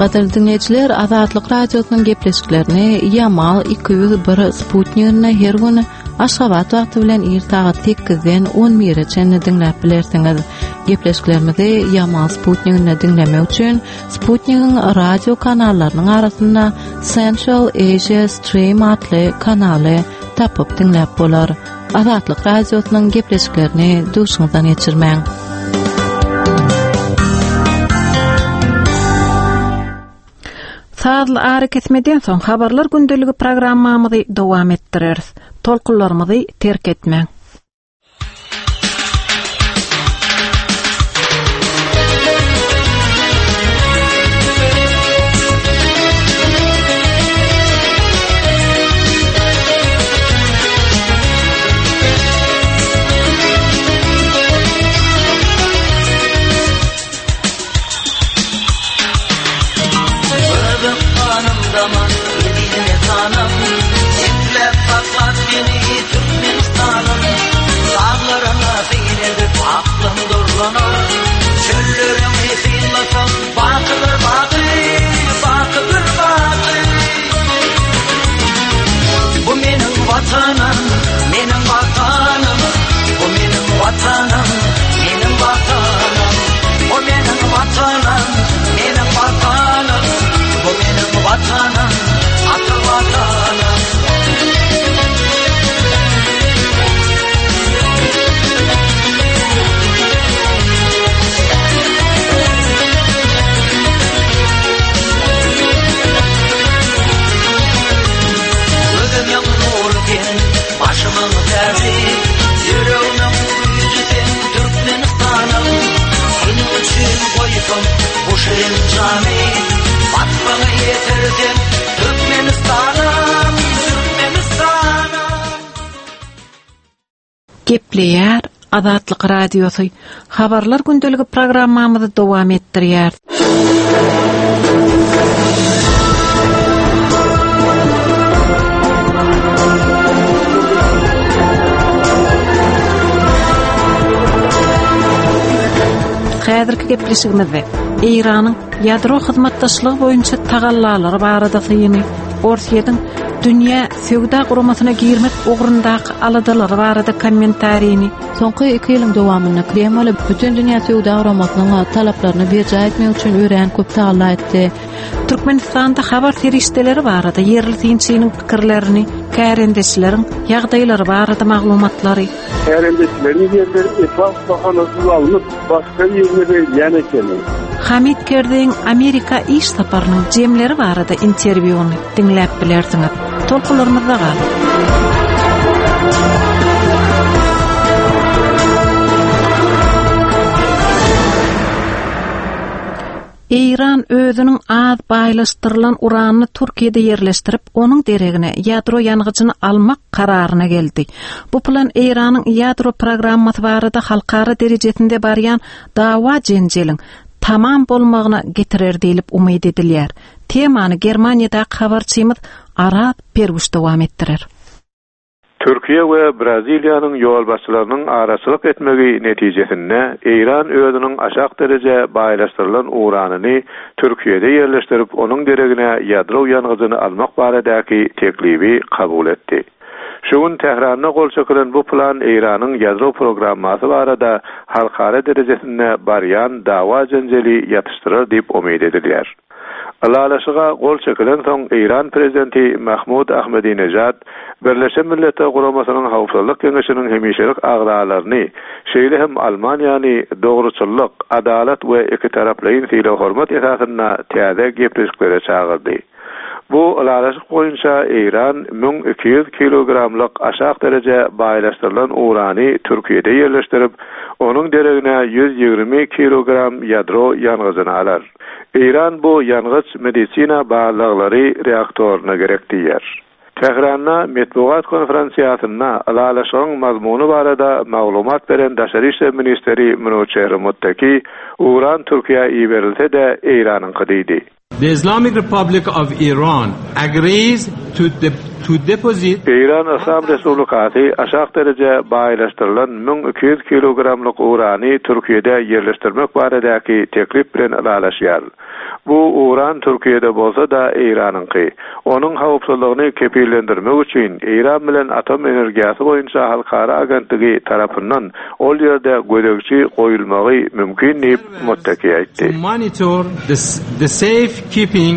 Gadyrly diňleýjiler, Azatlyk Radiosynyň gepleşiklerini Ýamal 201 sputniginde her gün Aşgabat wagty bilen ir sagat 8-den 11-e çenli diňläp bilersiňiz. Gepleşiklerimizi Ýamal sputniginde diňlemek üçin sputnigiň radio kanallarynyň arasynda Central Asia Stream atly kanaly tapyp diňläp bolar. Azatlyk Radiosynyň gepleşiklerini duşuňyzdan geçirmäň. Sazly arakesmeden soň habarlar gündeligi programmamyzy dowam etdireris. Tolkunlarymyzy terk etmäň. Gepleýär Azatlyk Radiosy. Habarlar gündeligi programmamyzy dowam etdirýär. Häzirki gepleşigimizde Eýranyň ýadro hyzmatdaşlygy boýunça tagallalary barada syny, Orsýetiň dünýä söwda guramasyna girmek ugrundaky aladalary barada kommentarini, Soňky iki ýylyň dowamynda Kreml Bütindünýä söwda guramasynyň talaplaryny berjaý etmek üçin örän köp tagalla etdi. Türkmenistanda habar serişdeleri barada ýerli synçynyň pikirlerini, kärendeçileriň ýagdaýlary barada maglumatlary, Kärendeçileriň ýerleri esas bahanasyz alnyp, başga birine berilýän ekeni. Hamid Kerzeýiň Amerika iş saparynyň jemleri barada interwýuny diňläp bilersiňiz. Tolkunlarymyzda galyň! Eýran özüniň az baýlaşdyrylan uranyny Türkiýede ýerleşdirip, onuň deregine ýadro ýangyjyny almak kararyna geldi. Bu plan Eýranyň ýadro programmasy barada halkara derejesinde barýan dawa-jenjeliň tamam bolmagyna getirer diýlip umyt edilýär. Temany Germaniýadaky habarçymyz Araz Perwüş dowam etdirer. Türkiýe we Braziliýanyň ýolbaşçylarynyň araçylyk etmegi netijesinde Eýran özüniň aşak dereje baýlaşdyrylan uranyny Türkiýede ýerleşdirip, onuň deregine ýadro ýangyjyny almak baradaky teklibi kabul etdi. Şu gün Tähranda gol çekilen bu plan Eýranyň ýadro programmasy barada halkara derejesinde barýan dawa-jenjeli ýatyşdyrar diýip umyt edilýär. Ylalaşyga gol çekilensoň, Eýran prezidenti Mahmud Ahmedinejad Birleşen Milletler Guramasynyň Howpsuzlyk Geňeşiniň hemişelik agzalaryny, şeýle hem Almaniýany dogruçyllyk, adalat we ikitaraplaýyn sylag-hormat esasynda täze gepleşiklere çagyrdy. Bu ylalaşyk boýunça Eýran 1200 kilogramlyk aşak dereje baýlaşdyrylan urany Türkiýede ýerleşdirip, onuň deregine 120 kilogram ýadro ýangyjyny alar. Eýran bu ýangyç medisina barlaglary reaktoryna gerek diýýär. Tähranda metbugat konferensiýasynda ylalaşygyň mazmuny barada maglumat beren daşary işler ministri Minuçehri Muttaki, Uran Türkiýä iberilse-de, Eýranyňky diýdi. The Islamic Republic of Iran agrees to to deposit. Eýran Yslam Respublikasy aşak dereje baýlaşdyrylan 1200 kilogramlyk urany Türkiýede ýerleşdirmek baradaky teklip bilen ylalaşýar. Bu uran Türkiýede bolsa-da Eýranyňky. Onuň howpsuzlygyny kepillendirmek üçin Eýran bilen Atom energiýasy boýunça halkara agentligi tarapyndan ol ýerde gözegçi goýulmagy mümkin diýip, Muttaki aýtdy. To monitor the safe keeping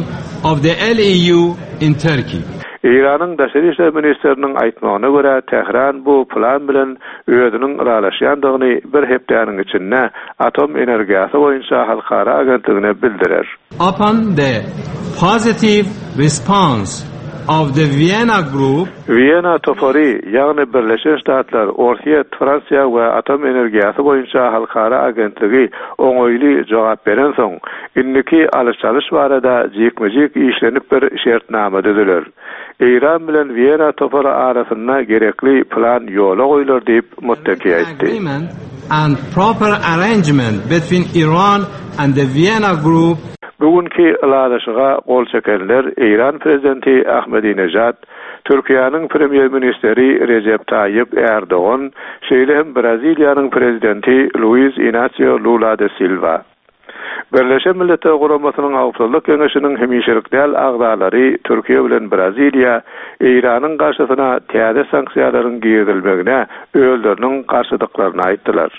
of the LEU in Turkey. Eýranyň daşary işler ministriniň aýtmagyna görä, Tähran bu plan bilen özüniň ylalaşýandygyny bir hepdäniň içinde Atom energiýasy boýunça halkara agentligine bildirer. Upon the positive response of the Vienna Group, Wena topary, ýagny Birleşen Ştatlar, Orsýet, Fransiýa we Atom energiýasy boýunça halkara agentligi oňaýly jogap berensoň, indiki alyş-çalyş barada jikme-jik işlenip bir şertnama düzüler. Eýran bilen Wena topary arasynda gerekli plan ýola goýlar diýip, Muttaki aýtdy. and proper arrangement between Iran and the Vienna Group. Bu günki ylalaşyga gol çekenler Eýran prezidenti Ahmedinejad, Türkiýäniň Premýer-ministri Rejep Taýyp Ärdogan, şeýle hem Braziliýanyň Prezidenti Luiz Inasio Lula de Silwa. Birleşen Milletler Guramasynyň Howpsuzlyk Geňeşiniň hemişelik däl agzalary Türkiýe bilen Braziliýa Eýranyň garşysyna täze sanksiýalaryň girizilmegine özleriniň garşydyklaryny aýtdylar.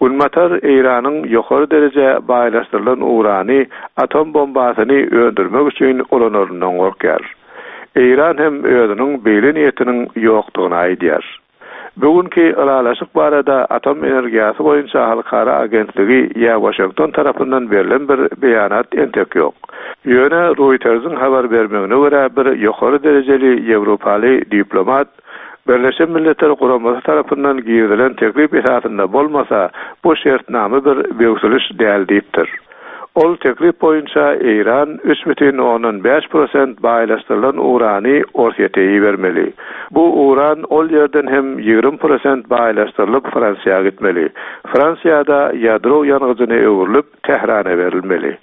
Günbatar Eýranyň ýokary dereje baýlaşdyrylan urany atom bombasyny öndürmek üçin ulanaryndan gorkýar. Eýran hem özüniň beýle niýetiniň ýokdugyny aýdýar. Bu günki ylalaşyk barada Atom energiýasy boýunça halkara agentligi ýa Waşington tarapyndan berlen bir beýanat entek ýok. Ýöne Roýtersiň habar bermegine görä bir ýokary derejeli ýewropaly diplomat Birleşen Milletler Guramasy tarapyndan girizilen teklip esasynda bolmasa, bu şertnama bir böwsüliş däl diýipdir. Ol teklip boýunça Eýran 3,5 prosent baýlaşdyrylan urany Orsýete ibermeli. Bu uran ol ýerden hem 20 prosent baýlaşdyrylyp Fransiýa gitmeli. Fransiýada ýadro ýangyjyna öwrülip, Tährana berilmeli.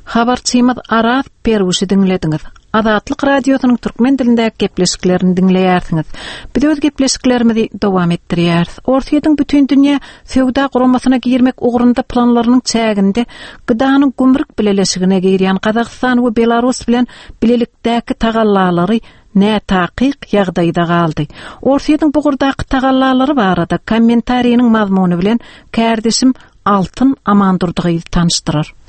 Habarçymyz Araz Perwişi diňlediňiz. Azatlyk Radiosynyň türkmen dilindäki gepleşiklerini diňleýärsiňiz. Biz öz gepleşiklerimizi dowam etdirýäris. Orsýetiň Bütindünýä Söwda Guramasyna girmek ugrunda planlarynyň çäginde GDA-nyň gümrük bileleşigine girýän Gazagystan we Belarus bilen bilelikdäki tagallalary nätakyk ýagdaýda galdy. Orsýetiň bu ugurdaky tagallalary barada kommentariniň mazmuny bilen kärdeşim Altyn Amandurdygyzy tanyşdyrar.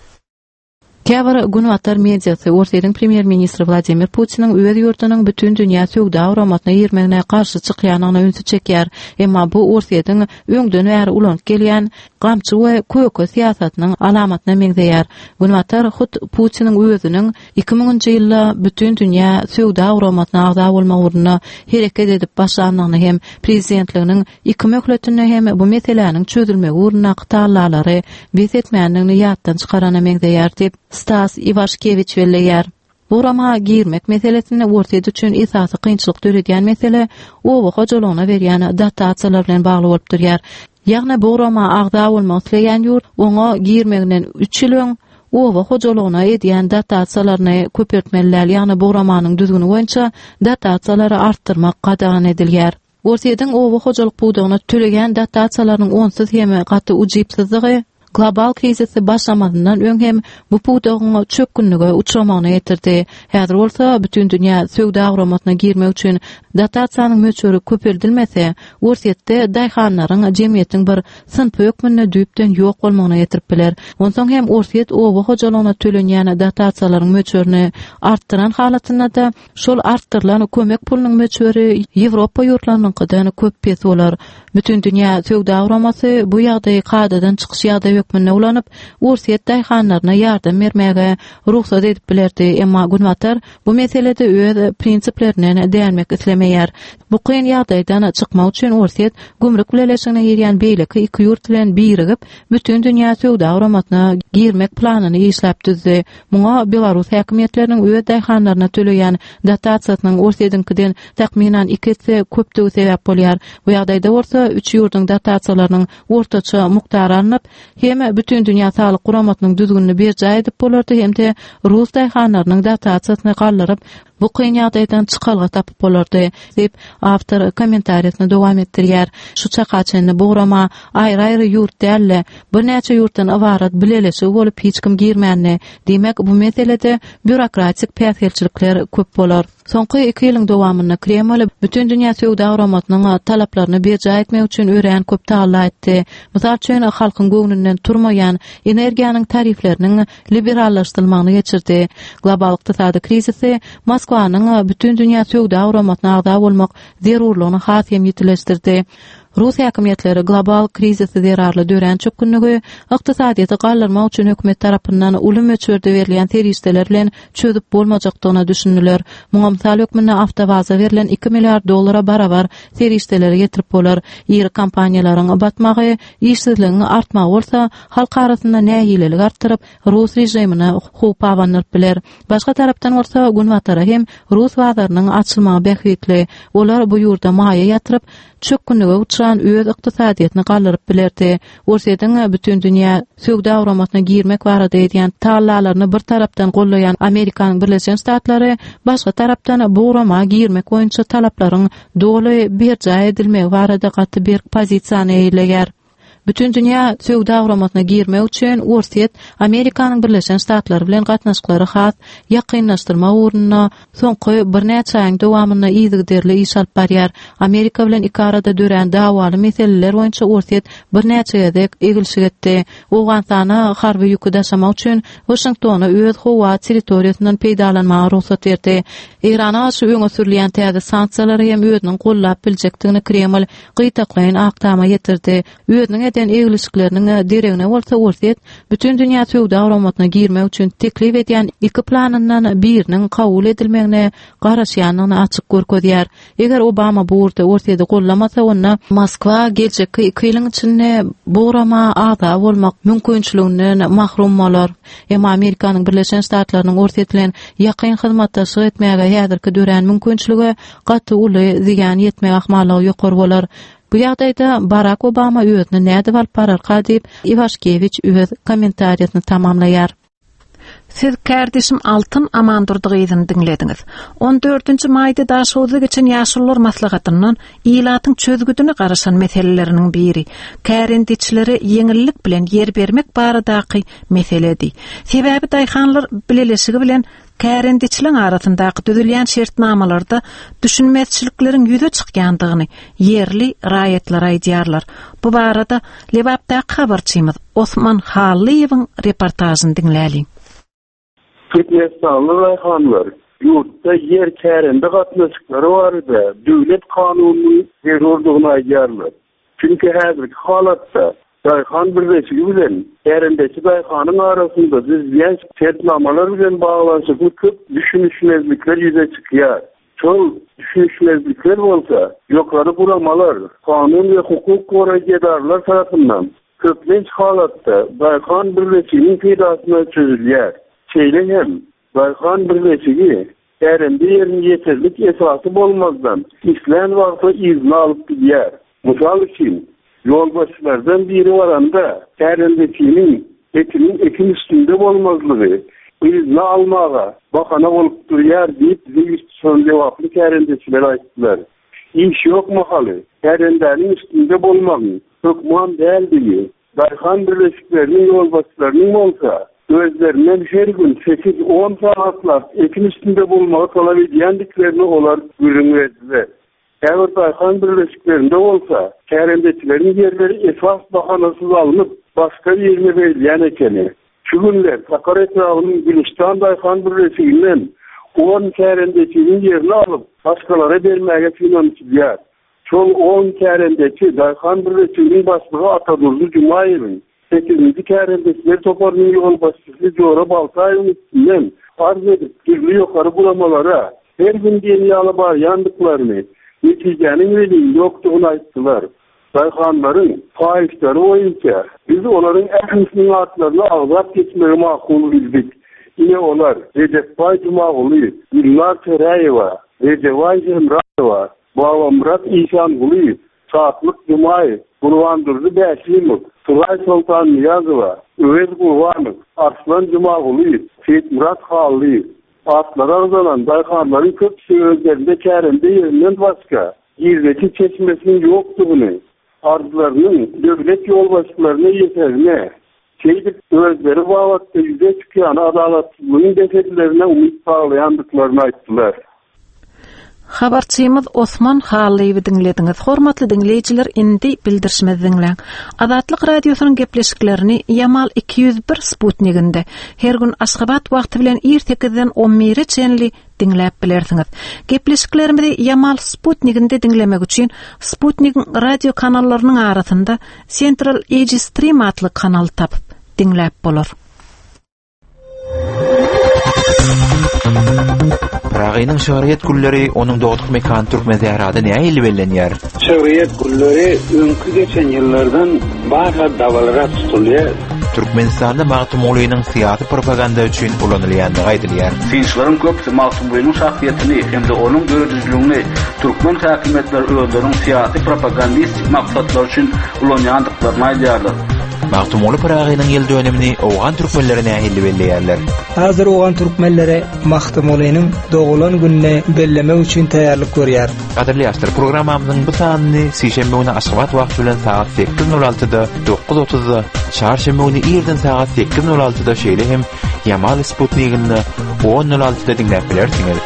Käbir günbatar mediasy Orsýetiň premýer-ministri Wladimir Putiniň öz ýurdunyň Bütindünýä söwda guramasyna girmegine garşy çykýandygyna ünsi çekýär. Emma bu Orsýetiň öňden bäri ulanyp gelýän gamçy we köke syýasatynyň alamatyna meňzeýär. Günbatar hut Putiniň özüniň iki müňünji ýylda Bütindünýä söwda guramasyna agza bolmak ugrunda hereket edip başlandygyny hem prezidentliginiň Iki möhletinde hem bu meseläniň çözülmegi ugrundaky tagallalary bes etmändigini ýatdan çykarana meňzeýär diýip, Stas Iwaşkewiç belleýär. Bu gurama girmek meselesinde Orsýet üçin esasy kynçylyk döredýän mesele oba hojalygyna berýän dotasiýalar bilen bagly bolup durýar. Ýagny bu gurama agza bolmak isleýän ýurt oňa girmeginden üç ýyl öň oba hojalygyna edýän dotasiýalaryny köpeltmeli däl, ýagny bu guramanyň düzgüni boýunça dotasiýalary artdyrmak gadagan edilýär. Orsýetiň oba hojalyk pudagyna töleýän dotasiýalarynyň onsuz hem gaty ujypsyzdygy global krizisi başlamazyndan öň hem bu pudagyň çökgünlige uçramagyna getirdi. Häzir bolsa Bütindünýä söwda guramasyna girmek üçin dotasiýanyň möçberi köpeldilmese, Orsýetde daýhanlaryň jemgyýetiň bir synpy hökmünde düýpden ýok bolmagyna getirip biler. Onsoň hem Orsýet oba hojalygyna tölenýän dotasiýalaryň möçberini artdyran halatynda-da, Şol artdyrylan kömek pulunyň möçberi Ýewropa ýurtlarynyňkydan köp pes bolar. Bütindünýä söwda guramasy bu ýagdaýy kadadan çykyş ýagdaý hökmünde ulanyp, Orsýet daýhanlaryna ýardam bermäge rugsat edip bilerdi, emma Günbatar bu meselede öz prinsiplerinden dänmek islemeýär. Bu kyn ýagdaýdan çykmak üçin Orsýet gümrük bileleşigine girýän beýleki iki ýurt bilen birigip, Bütindünýä söwda guramasyna girmek planyny işläp düzdi. Muňa belarus häkimiýetleriniň öz daýhanlaryna töleýän dotasiýasynyň Orsýetiňkiden takmynan iki esse köpdügi sebäp bolýar. Bu ýagdaýda bolsa üç ýurduň dotasiýalarynyň ortaça mukdary alnyp, hem Bütindünýä saglyk guramasynyň düzgünini berjaý edip bolardy hem-de rus daýhanlarynyň dotasiýasyny galdyryp, Bu kyn ýagdaýdan çykalga tapyp bolardy, diýip, awtor kommentariýasyny dowam etdirýär. Şu çaka çenli bu gurama aýry-aýry ýurt däl-de, birnäçe ýurtdan ybarat bileleşigi bolup hiç kim girmändi. Diýmek, bu meselede býurokratik päsgelçilikler köp bolar. Soňky iki ýylyň dowamynda Kreml Bütindünýä Söwda Guramasynyň talaplaryny berjaý etmek üçin örän köp tagalla etdi. Mysal üçin, halkyň göwnünden turmaýan energiýanyň tarifleriniň liberallaşdyrylmagyny geçirdi. Global ykdysady krizisi Moskwanyň Bütindünýä Söwda Guramasyna agza bolmak zerurlygyny has hem ýitileşdirdi. Rus häkimiýetleri global krizisi zerarly dörän çökgünligi ykdysadyýeti galdyrmak üçin hökümet tarapyndan uly möçberde berilýän serişdeler bilen çözüp bolmajakdygyna düşündiler. Muňa mysal hökmünde Awtowaza berlen iki milliard dollara barabar serişdeleri getirip bolar. Iri kompaniýalaryň batmagy, işsizligiň artmagy bolsa halk arasynda nägilelik artdyryp, rus režimine howp abandyryp biler. Başga tarapdan bolsa, Günbatara hem rus bazarynyň açylmagy bähbitli. Olar bu ýurda maýa ýatyryp, çökgünlige uçran öz ykdysadyýetini galdyryp bilerdi. Orsýetiň Bütindünýä söwda guramasyna girmek barada edýän tagallalaryny bir tarapdan gollaýan Amerikanyň Birleşen Ştatlary başga tarapdan bu gurama girmek boýunça talaplaryň doly berjaý edilmegi barada gaty berk pozisiýany eýeleýär. Bütindünýä söwda guramasyna girmek üçin Orsýet Amerikanyň Birleşen Ştatlary bilen gatnaşyklary has ýakynlaşdyrmak ugrunda soňky birnäçe aýyň dowamynda yzygiderli iş alyp barýar. Amerika bilen iki arada dörän dawaly meseleler boýunça Orsýet birnäçe gezek egilşik etdi. Owganystana harby ýüki daşamak üçin Waşingtona öz howa territoriýasyndan peýdalanmaga rugsat berdi. Eýrana garşy öňe sürülýän täze sanksiýalary hem özüniň gollap biljekdigini Kreml gytaklaýyn Ak Tama ýetirdi. Özüniň. eden eglişikleriniň deregine bolsa Orsýet Bütindünýä Söwda Guramasyna girmek üçin teklip edýän iki planyndan biriniň kabul edilmegine garaşýandygyny açyk görkezýär. Eger Obama bu ugurda Orsýeti gollamasa, onda Moskwa geljekki iki ýylyň içinde bu gurama agza bolmak mümkinçiliginden mahrum bolar. Emma Amerikanyň Birleşen Ştatlarynyň Orsýet bilen ýakyn hyzmatdaşlyk etmäge häzirki dörän mümkinçilige gaty uly zyýan ýetmek ahmallygy ýokary bolar. Bu ýagdaýda Barak Obama özüni nädip alyp bararka diýip, Iwaşkewiç öz kommentariýasyny tamamlaýar. Siz kärdeşim Altyn Amandurdy gyzyny diňlediňiz. On dördünji maýda Daşoguzda geçen ýaşulular maslahatyndan ilatyň çözgüdine garaşan meseleleriniň biri, kärendeçilere ýeňillik bilen ýer bermek baradaky meseledi. Sebäbi daýhanlar bileleşigi bilen kärendeçiligiň arasyndaky düzülýän şertnamalarda düşünmezçilikleriň ýüze çykýandygyny ýerli raýatlar aýdýarlar. Bu barada Lebapdaky habarçymyz Osman Hallyýewiň reportažyny diňläliň. Türkmenistanly daýhanlar ýurtda ýer kärende gatnaşyklary barada döwlet kanunynyň zerurdygyny aýdýarlar. Çünki häzirki halatda daýhan birleşigi bilen kärendeçi daýhanyň arasynda düzülýän şertnamalar bilen baglanyşykly köp düşünişmezlikler ýüze çykýar. Şol düşünişmezlikler bolsa ýokary guramalar, kanun we hukuk goraýjy edaralar tarapyndan köplenç halatda daýhan birleşiginiň peýdasyna çözülýär. Şeýle hem, daýhan birleşigi kärende ýerini ýeterlik esasy bolmazdan islän wagty yzyna alyp gidýär. Mysal üçin, ýolbaşçylardan biri baranda kärendeçiniň etiniň ekin üstünde bolmazlygy yzyna almaga bahana bolup durýar diýip, bize ýüz tutan lebaply kärendeçiler aýtdylar. Iş ýok mahaly kärendäniň üstünde bolmagyň hökman däldigi, daýhan birleşikleriniň ýolbaşçylarynyň bolsa özlerinden her gün sekiz-on sagatlap ekin üstünde bolmagy talap edýändiklerini olar gürrüň berdiler. Käbir daýhan birleşiklerinde bolsa, kärendeçileriň ýerleri esas bahanasyz alnyp, başga birine berilýän ekeni. Şu günler Sakar etrabynyň Gülüstan daýhan birleşiginden on kärendeçiniň ýerini alyp, başgalara bermäge synanyşylýar. Şol on kärendeçi daýhan birleşiginiň başlygy Atadurdy Jumaýewiň, sekizinji kärendeçiler toparynyň ýolbaşçysy Jora Baltaýewiň üstünden arz edip, dürli ýokary guramalara her gün diýen ýaly barýandyklaryny, netijäniň welin ýokdugyny aýtdylar. Daýhanlaryň haýyşlary boýunça biz olaryň ählisiniň atlaryny agzap geçmegi makul bildik. Ine olar, Rejepbaý Jumagulyýew, Gülnar Töräýewa, Rejebaý Hemraýewa, Babamyrat Işangulyýew, Şatlyk Jumaýew, Gurbandurdy Bäşimow, Suraý Soltannyýazowa, Öwez Gurbanow, Arslan Jumagulyýew, Seýitmyrat Hallyýew. Atlary agzalan daýhanlaryň köpüsi özlerinde kärende ýerinden başga girdeji çeşmesiniň ýokdugyny, arzlarynyň döwlet ýolbaşçylaryna ýeterine, şeýdip özleri babatda ýüze çykýan adalatsyzlygyň bes edilerine umyt baglaýandyklaryny aýtdylar. Habarçymyz Osman Hallyýewi diňlediňiz. Hormatly diňleýjiler, indi bildirişimizi diňläň. Azatlyk Radiosynyň gepleşiklerini Ýamal 201 sputniginde her gün Aşgabat wagty bilen ir sekizden on bire çenli diňläp bilersiňiz. Gepleşiklerimizi Ýamal sputniginde diňlemek üçin sputnigiň radio kanallarynyň arasynda Central Asia Stream atly kanaly tapyp diňläp bolar. Pyragynyň şygryýet günleri onuň dogduk mekany Türkmensährada nähili bellenýär? Şygryýet günleri öňki geçen ýyllardan barha dabaralyrak tutulýar. Türkmenistanda Magtymgulynyň syýasy propaganda üçin ulanylýandygy aýdylýar. Synçylaryň köpüsi Magtymgulynyň şahsyýetini hem-de onuň döredijiligini türkmen häkimiýetleri özleriniň syýasy propagandistik maksatlary üçin ulanýandyklaryny aýdýarlar. Magtymguly Pyragynyň ýyl dönümini owgan türkmenleri nähili belleýärler? Häzir owgan türkmenleri Magtymgulynyň doglan gününi bellemek üçin taýýarlyk görýär. Gadyrly ýaşlar, programmamyzyň bu sanyny sişenbe güni Aşgabat wagty bilen sagat sekiz nol altyda, dokuz otuzda, çarşenbe güni irden sagat sekiz nol altyda şeýle hem Ýamal sputniginde on nol altyda diňläp bilersiňiz.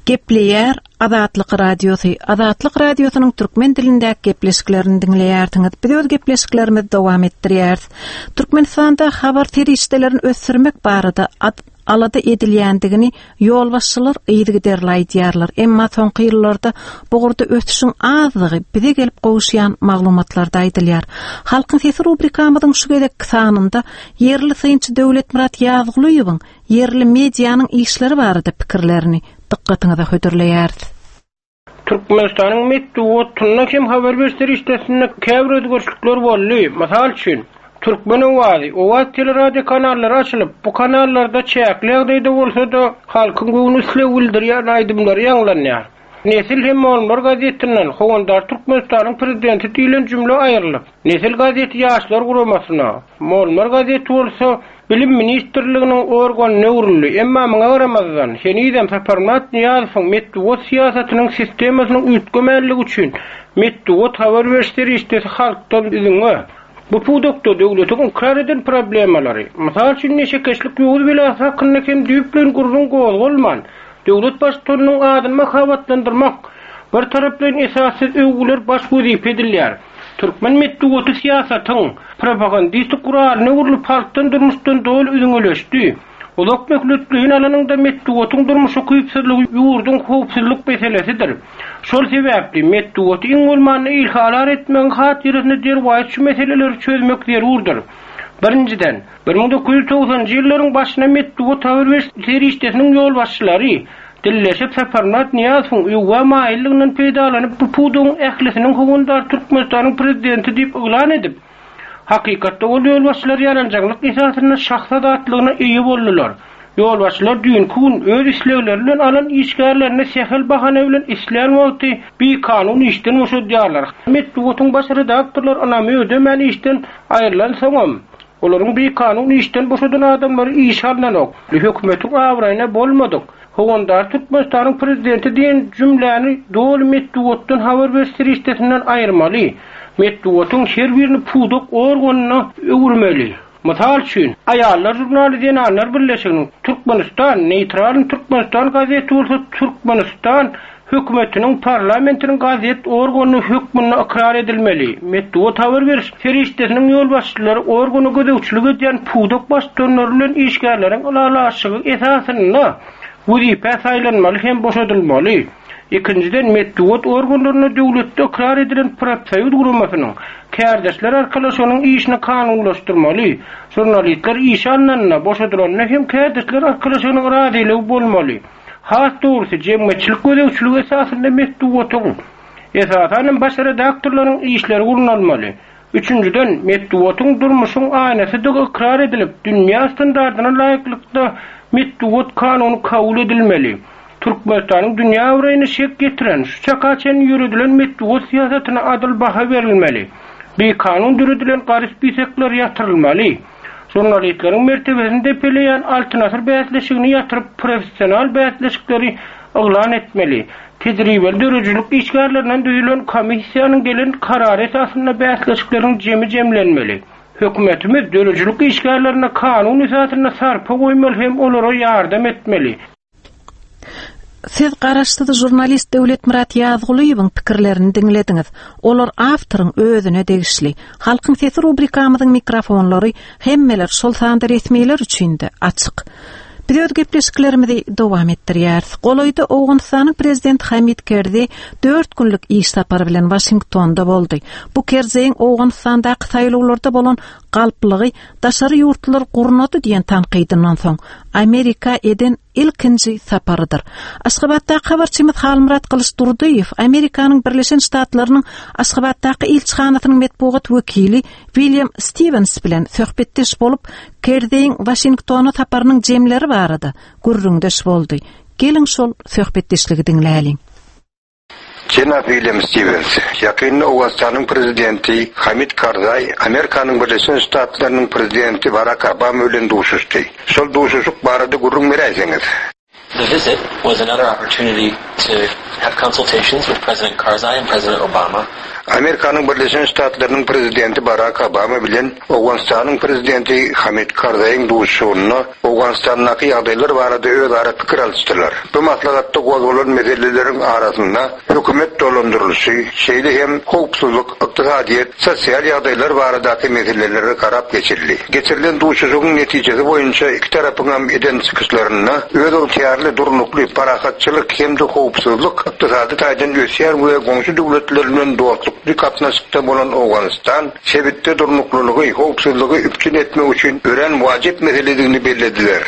Gepleýär Azatlyk Radiosy, Azatlyk Radiosynyň türkmen dilindäki gepleşiklerini diňleýärsiňiz. Biz öz gepleşiklerimizi dowam etdirýäris. Türkmenistanda habar serişdelerini ösdürmek barada. alada edilýändigini ýolbaşçylar yzygiderli aýdýarlar. Emma soňky ýyllarda bu ugurda ösüşiň azdygy bize gelip gowuşýan maglumatlarda aýdylýar. Halkyň sesi rubrikamyzyň şu gezekki sanynda ýerli synçy Döwletmyrat Ýazgulyýewiň ýerli medianyň işleri barada pikirlerini dykgatyňyza hödürleýäris. Türkmenistanyň metbugatynda hem habar beriş serişdesinde käbir özgerişlikler boldy. Mysal üçin, Türkmen owazy, Owaz teleradiokanallary açylyp, bu kanallarda çäkli ýagdaýda bolsa-da, halkyň göwün isleg bildirýän aýdymlary ýaňlanýar. Nesil hem Molmar gazetinden Howandar Türkmenistanyň Prezidenti diýlen jümle aýrylyp, Nesil gazeti Ýaşlar guramasyna, Molmar gazeti bolsa Bilim ministrliginiň organyna öwrüldi. Emma muňa garamazdan, henizem Saparmyrat Nyýazowyň metbugat syýasatynyň sistemasynyň üýtgemänligi üçin metbugat habar beriş serişdesi halkdan üzňe. Bu pudakda döwletiň ykrar eden problemalary, mysal üçin neşekeşlik ýowuz belasy hakynda hem düýpleýin gürrüň gozgalman, döwlet baştutanynyň adyny mahabatlandyrmak, bir taraplaýyn esassyz öwgüler baş wezipe edilýär. Türkmen metbugaty syýasatyň propagandistik guralyna öwrülip halkdan durmuşdan doly üzňeleşdi. Uzak möhletleýin alanyňda metbugatyň durmuş ukypsyzlygy ýurduň howpsuzlyk meselesidir. Şol sebäpli, metbugaty iň bolmanda ilhalar etmegiň hatyrasyna derwaýys şu meseleleri çözmek zerurdyr. Birinjiden, 1990-njy ýyllaryň başynda metbugat habar beriş serişdesiniň ýolbaşçylary dilleşip Saparmyrat Nyýazowyň öwgä maýyllygyndan peýdalanyp bu pudagyň ählisiniň howandary Türkmenistanyň Prezidenti diýip yglan edip, Hakykatda ol ýolbaşçylar ýaranjaňlyk esasynda şahs azatlygyna eýe boldular. Ýolbaşçylar düýnki gün öz islegleri bilen alan işgärlerini sähel bahana bilen islän wagty bikanun işden boşadýarlar. Metbugatyň baş redaktorlary ynamy ödemän işden aýrylansoňam, olaryň bikanun işden boşadan adamlary işe alnanok. Hökümetiň abraýyna bolmadyk, Howandar Türkmenistanyň Prezidenti diýen jümläni doly metbugatdan habar beriş serişdesinden aýyrmaly. Metbugatyň her birini pudak organyna öwürmeli. Mysal üçin, Aýallar žurnaly Zenanlar birleşiginiň, Türkmenistan, Neýtralnyý Türkmenistan gazeti bolsa Türkmenistan Hökümetiniň, parlamentiniň gazet organy hökmünde ykrar edilmeli. Metbugat habar beriş serişdesiniň ýolbaşçylary organa gözegçilik edýän pudak baştutanlary bilen işgärleriň ylalaşygy esasynda wezipä saýlanmaly hem boşadylmaly. Ikinjiden, metbugat organlarynda döwletde ykrar edilen profsoýuz guramasynyň, kärdeşler arkalaşygynyň işini kanunlaşdyrmaly. Žurnalistler işe alnanda, boşadylanda hem kärdeşler arkalaşygynyň razylygy bolmaly. Has dogrusy, jemgyýetçilik gözegçiligi esasynda metbugatyň, esasan hem baş redaktorlaryň işleri gurnalmaly. Üçünjiden, metbugatyň durmuşyň aýnasydygy ykrar edilip, dünýä standardyna laýyklykda metbugat kanuny kabul edilmeli. Türkmenistanyň dünýä abraýyna şek ýetiren, şu çaka çenli ýöredilen metbugat syýasatyna adyl baha berilmeli. Bikanun döredilen gara spisekler ýatyrylmaly. Žurnalistleriň mertebesini depeleýän Altyn asyr bäsleşigini ýatyryp, professional bäsleşikleri yglan etmeli. Tejribeli döredijilik işgärlerinden düzülen komissiýanyň gelen karary esasynda bäsleşikleriň jemi jemlenmeli. Hökümetimiz döredijilik işgärlerine kanun esasynda sarpa goýmaly hem olara ýardam etmeli. Siz garaşsyz žurnalist Döwletmyrat Ýazgulyýewiň pikirlerini diňlediňiz. Olar awtoryň özüne degişli. Halkyň sesi rubrikamyzyň mikrofonlary hemmeler, şol sanda resmiler üçin-de açyk. Biz öz gepleşiklerimizi dowam etdirýäris. Golaýda Owganystanyň prezidenti Hamid Kerzi dört günlük iş sapary bilen Waşingtonda boldy. Bu Kerzeýiň Owganystandaky saýlawlarda bolan galplygy daşary ýurtlular gurnady diýen tankydyndan soň Amerika eden ilkinji saparydyr. Aşgabatdaky habarçymyz Halmyrat Gylyçdurdyýew Amerikanyň Birleşen Ştatlarynyň Aşgabatdaky ilçihanasynyň metbugat wekili William Stiwens bilen söhbetdeş bolup, Kerzeýiň Waşingtona saparynyň jemleri barada gürrüňdeş boldy. Geliň şol söhbetdeşligi diňläliň. Jenap William Stiwens, ýakynda Owganystanyň prezidenti Hamid Karzaý Amerikanyň Birleşen Ştatlarynyň prezidenti Barak Obama bilen duşuşdy. Şol duşuşyk barada gürrüň beräýseňiz? The visit was another opportunity. to have consultations with President Karzai and President Obama. Amerikanyň Birleşen Ştatlarynyň Prezidenti Barak Obama bilen Owganystanyň Prezidenti Hamid Karzaýyň duşuşygynda Owganystandaky ýagdaýlar barada özara pikir alyşdylar. Bu maslahatda gozgalan meseleleriň arasynda hökümet dolandyrylyşy, şeýle hem howpsuzlyk, ykdysadyýet, sosial ýagdaýlar baradaky meselelere garap geçildi. Geçirilen duşuşygyň netijesi boýunça iki tarapyňam eden çykyşlarynda özygtyýarly, durnukly, parahatçylyk hem-de howpsuzlyk, ykdysady taýdan ösýän we goňşy döwletler bilen dostlukly gatnaşykda bolan Owganystan sebitde durnuklylygy, howpsuzlygy üpjün etmek üçin örän wajyp meseledigini bellediler.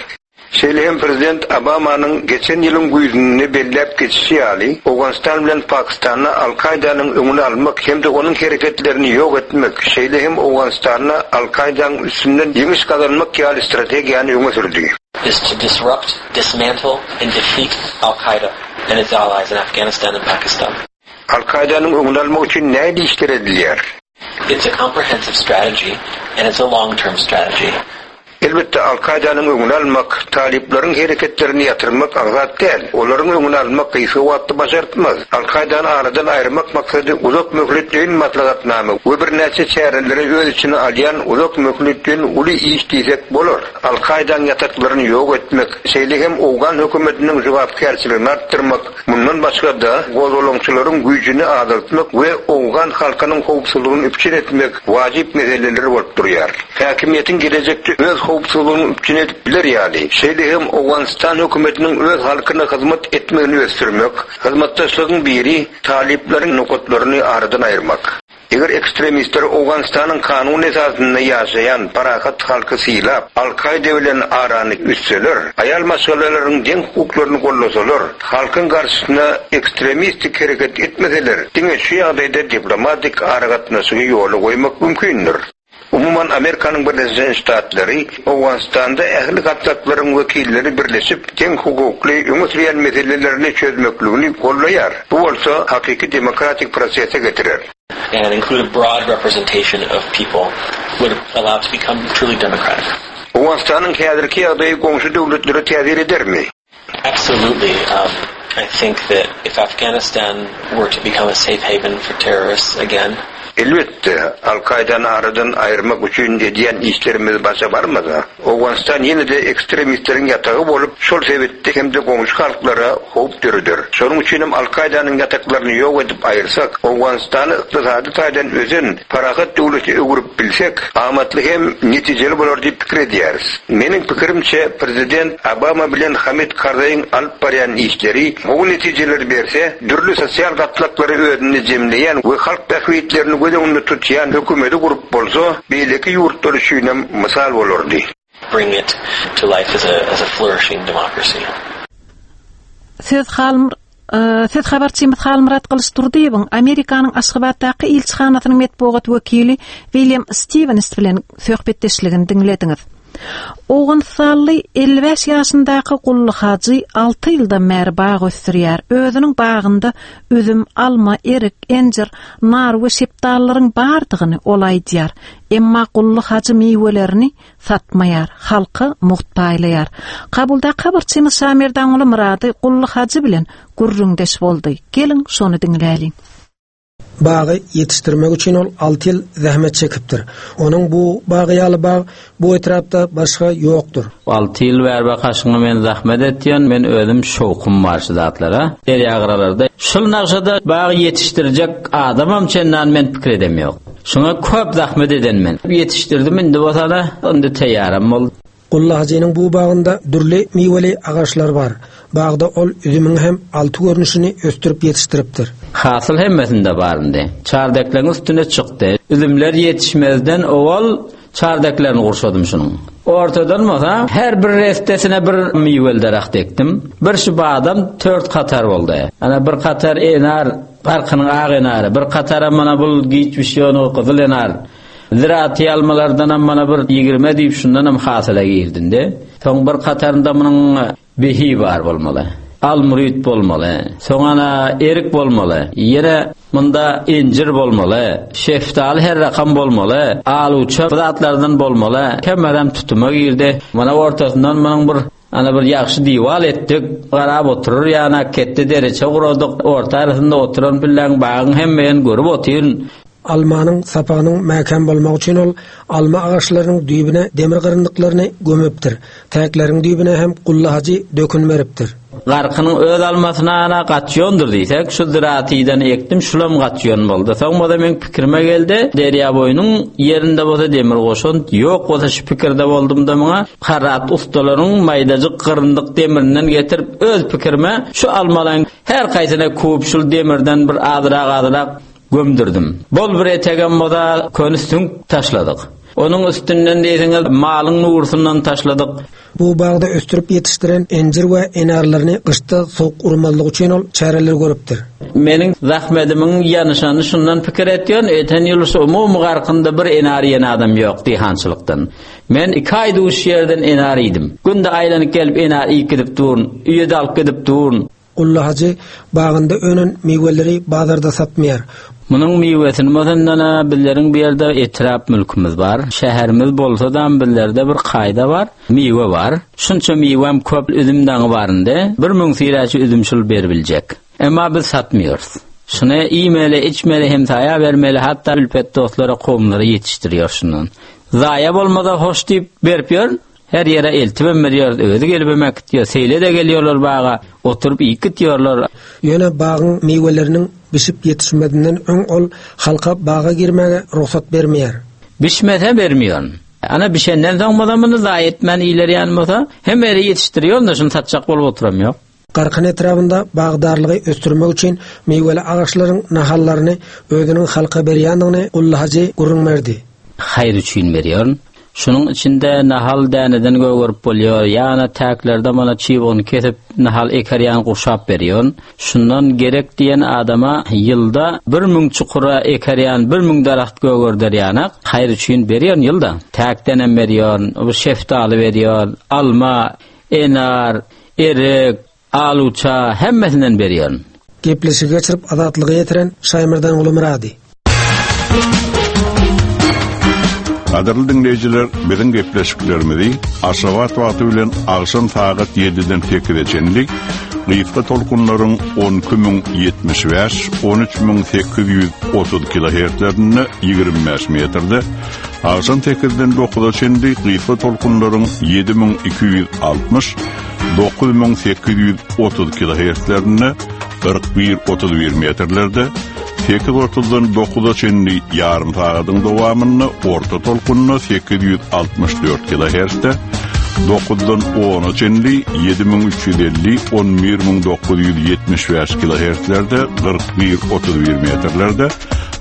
Şeýle hem prezident Obamanyň geçen ýylyň güýzünde belläp geçişi ýaly, Owganystan bilen Pakistanda Al-Kaýdanyň öňüni almak hem-de onuň hereketlerini ýok etmek, şeýle hem Owganystanda Al-Kaýdaň üstünden ýeňiş gazanmak ýaly strategiýany öňe sürdi. Is to disrupt, dismantle and defeat Al-Qaeda and its allies in Afghanistan and Pakistan. Al-Kaýdanyň öňüni almak üçin nähili işler edilýär? It's a comprehensive strategy and it's a long-term strategy. Elbetde, Al-Kaýdanyň öňüni almak, talyplaryň hereketlerini ýatyrmak aňsat däl. Olaryň öňüni almak gysga wagtda başartmaz. Al-Kaýdany aradan aýyrmak maksady uzak möhletleýin maslahatnama we birnäçe çäreleri öz içine alýan uzak möhletleýin uly iş diýsek bolar. Al-Kaýdaň ýataklaryny ýok etmek, şeýle hem owgan hökümetiniň jogapkärçiligini artdyrmak, Mundan başga-da, gozgalaňçylaryň güýjüni azaltmak we owgan halkynyň howpsuzlygyny üpjün etmek wajyp meseleler bolup durýar. Häkimiýetiň gelejekde öz howpsuzlygyny üpjün edip biler ýaly, şeýle hem Owganystan hökümetiniň öz halkyna hyzmat etmegini ösdürmek, hyzmatdaşlygyň biri talyplaryň nokatlaryny aradan aýyrmak. Eger ekstremistler Owganystanyň kanun esasynda ýaşaýan parahat halky sylap, Al-Kaýda bilen arany üzseler, aýal maşgalalaryň deň hukuklaryny gollasalar, halkyň garşysyna ekstremistik hereket etmeseler, diňe şu ýagdaýda diplomatik aragatnaşygy ýola goýmak mümkindir. Umuman, Amerikanyň Birleşen Ştatlary Owganystanda ähli gatlaklaryň wekilleri birleşip, deň hukukly, öňe sürýän meselelerini çözmekligini gollaýar. Bu bolsa hakyky demokratik prosese getirer. And include a broad representation of people would allow it to become truly democratic. Owganystanyň häzirki ýagdaýy goňşy döwletlere täsir edermi? Absolutely. I think that if Afghanistan were to become a safe haven for terrorists again. Elbetde, Al-Kaýdany aradan aýyrmak üçin edýän işlerimiz başa barmasa, Owganystan ýene-de ekstremistleriň ýatagy bolup, şol sebitde hem-de goňşy halklara howp döreder. Şonuň üçinem Al-Kaýdanyň ýataklaryny ýok edip aýyrsak, Owganystany ykdysady taýdan ösen, parahat döwlete öwrüp bilsek, amatly hem netijeli bolar diýip pikir edýäris. Meniň pikirimçe, prezident Obama bilen Hamid Karzaýyň alyp barýan işleri gowy netijeleri berse, dürli sosial gatlaklary özünde jemleýän we halk bähbitlerini göz öňünde tutýan hökümeti gurup bolsa, beýleki ýurtlar üçinem mysal bolardy. Bring it to life as a as a flourishing democracy. Söz Halmr Söz habarçymyz Halmyrat Gylyçdurdyýewiň Amerikanyň Aşgabatdaky ilçihanasynyň metbugat wekili William Stiwens bilen söhbetdeşligini diňlediňiz. Owganystanly 55 ýaşyndaky Gully Hajy 6 ýyldan bäri bag ösdürýär. Özüniň bagynda üzüm, alma, erik, injir, nar we şepdalylaryň bardygyny ol aýdýar. Emma Gully Hajy miwelerini satmaýar, halka mugt paýlaýar. Kabuldaky habarçymyz Şamerdanguly Myrady Gully hajy bilen gürrüňdeş boldy. Geliň, şony diňläliň. Bagy ýetişdirmek üçin ol alty ýyl zähmet çekipdir. Onuň bu bagy ýaly bag bu etrapda başga ýokdur. Alty ýyl bäri bakaşyňa men zahmet etýän, men özüm şowkum bar şu zatlara. Derýagyralarda şul nagşada bag ýetişdirjek adamam çendan men pikir edemýok. Şuňa köp zahmet eden men. Ýetişdirdim indi bolsada, indi teýýaram boldy. Gully hajynyň bu bagynda dürli miweli agaçlar bar. Bagda ol üzümiň hem alty görnüşini ösdürip ýetişdiripdir. Hasyl hemmesinde bar indi. Çardekleriň üstüne çykdy. Üzümler ýetişmezden owal çardeklerini gurşadym şunuň. Ortadan bolsa her bir restesine bir miweli daragt ekdim. Bir şu badam tört katar boldy. Ana bir katar enar, Parkynyň ak enary, bir kataram mana bul giç bişýän o gyzyl enar. Ziraty almalardanam mana bir ýigrime diýip şundanam hasyla girdinde. Soň bir katarynda munuň behi bar bolmaly. Almyryt bolmaly. Soň ana erik bolmaly. Ýene munda injir bolmaly. Şeftaly her rakam bolmaly. Aluça bu zatlardan bolmaly. Kemerem tutuma girdi. Mana ortasyndan munuň bir. Ana bir ýagşy diwal etdik, garap oturar ýana ketde dereçe guradyk, orta arasynda oturan pilläň bagyň hemme ýerini görüp otyryn. Almanyň sapagynyň mäkäm bolmagy üçin ol alma agaçlarynyň düýbüne demir gyryndyklaryny gömüpdir. Täkleriň düýbüne hem gullahajy dökün beripdir. Garkynyň öz almasyna ana gaçýondyr diýsek, şu zyratydan ekdim, şulam gaçýon boldy. Soň bolsa meň pikirime geldi, derýa boýunyň ýerinde bolsa demir goşant ýok bolsa şu pikirde boldum-da muňa harrat ussalaryň maýdajyk gyryndyk demirinden getirip öz pikirime şu almalaň her haýsyna kup şul demirden bir azrak-azrak Gömdürdim. Bol bir etegem boza köni süňk taşladyk. Onuň üstünden diýseňiz malyň nurusyndan taşladyk. Bu bagda ösdürip ýetişdiren injir we enarlaryny gyşda sowuk urmazlygy üçin ol çäreler görüpdir. Meniň zahmedimiň ýanyşanyny şundan pikir etýän, öten ýyl şu umumy garkynda bir enar iýen adam ýok diýhançylykdan. Men iki aý duş ýerden enar iýdim. Günde aýlanyp gelip enar iýip gidip durun, öýe-de alyp gidip durun. Gully hajy bagynda önen miweleri bazarda satmaýar. Munuň miwesini bolsandana bizleriň bu ýerde etrap mülkümiz bar. Şäherimiz bolsadam bizlerde bir kaýda bar, miwe bar. Şunça miwem köp üzüm daňy baryndy. 1000 syraçy üzüm şul beribiljek. Emma biz satmýarys. Şuny iýmeli, içmeli, hemsaýa bermeli, hatda ülpet dostlara, kowumlara ýetişdirýär şundan. Zaýa bolmasa hoş diýip berip ýörün. Her ýere eltibem berýäris, özi gelibem äkitýär. Seýle-de gelýärler baga, oturyp iýip gitýärler. Ýöne bagyň miweleriniň bişip ýetişmezinden öň ol halka baga girmäge rugsat bermeýär. Bişmese bermeýärin. Ana bişenden soň bolsa muny zaýa etmän iýiler ýaly bolsa, hemme ýere ýetişdirýärin-de, şuny satjak bolup oturam ýok. Garkyn etrabynda bagdarlygy ösdürmek üçin miweli agaçlaryň nahallaryny özüniň halka berýändigini Gully hajy gürrüň berdi. Haýyr üçin berýärin. Şunuň içinde nahal däneden gögerip bolýar, ýa-da täklerde mana çybygyny kesip, nahal eker ýaly gurşap berýärin. Şundan gerek diýen adama ýylda 1000 çukura eker ýaly 1000 daragt gögerder ýanak haýyr üçin berýärin ýylda. Täkdenem berýärin, bu şeftaly berýärin, alma, enar, Erik, aluça hemmesinden berýärin. Gepleşigi geçirip Azatlyga ýetiren Şaýmyrdan Gulumyrady. Gadyrly diňleýjiler, biziň gepleşiklerimizi Aşgabat wagty bilen agşam sagat 7-den 8-e çenli gysga tolkunlaryň 12075, 13830 kilohertzlerinde 25 metrde, agşam 8-den 9-a çenli gysga tolkunlaryň 7260, 9830 kilohertzlerinde, 41-31 metrlerde, 8.30-dan 9-a çenli ýarym sagadyň dowamynda orta tolkunda 864 kilohertzde, 9-dan 10-a çenli 7350 11975 kilohertzlerde, 41-31 metrlerde,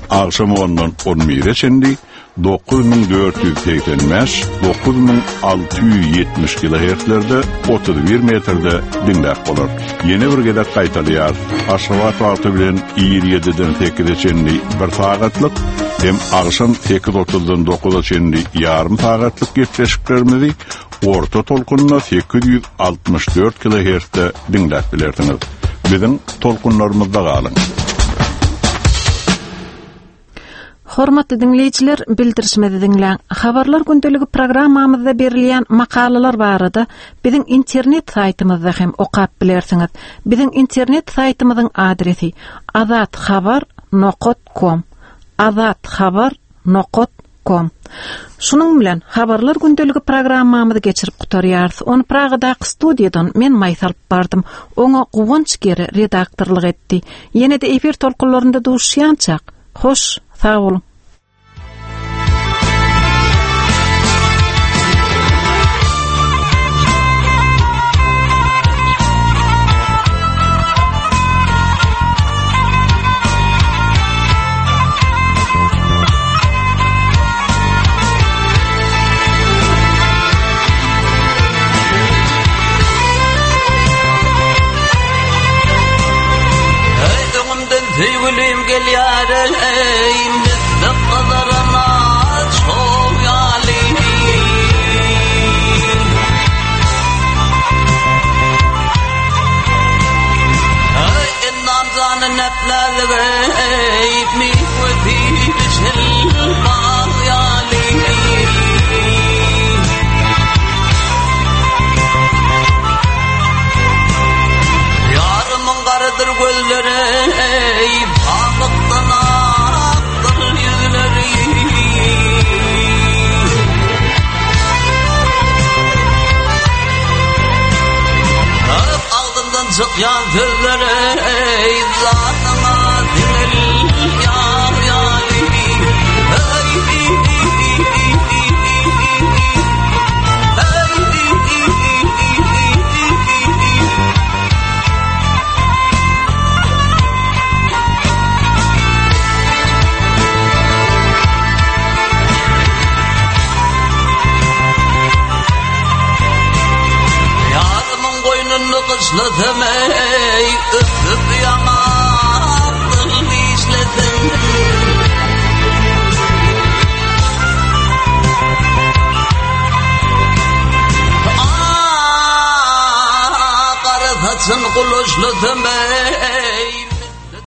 agşam 10-dan 11-e çenli 9485, 9670 kilohertzlerde 31 metrde diňläp bolar. Ýene bir gezek gaýtalaýarys. Aşgabat wagty bilen ir 7-den 8-e çenli bir sagatlyk hem agşam 8.30-dan 9-a çenli ýarym sagatlyk gepleşiklerimizi orta tolkunda 864 kilohertzde diňläp bilersiňiz. Biziň tolkunlarymyzda galyň. Hormatly diňleýjiler, bildirişimizi diňläň. Habarlar gündeligi programmamyzda berilýän makalalar barada biziň internet saýtymyzda hem okap bilersiňiz. Biziň internet saýtymyzyň adresi azathabar nokat kom. Azathabar nokat kom. Şunuň bilen Habarlar gündeligi programmamyzy geçirip gutarýarys. Ony Pragadaky studiýadan men Maýsa alyp bardym. Oňa Guwanç Gere redaktorlyk etdi. Ýene-de efir tolkunlarynda duşuşýançak, hoş, sag boluň! Öňümden söýgülim gelýär eý, Misli gyzarana çog ýaly. Endam jany näplälik eý, Miwesi bişen bag ýaly. Aýtýan sözleri zadyňa diňil ýar ýaly. Ýarymyň goýnunda gyşlasam eý, öpüp ýaňakdan dişlesem. Gara saçyn gulaşlasam eý.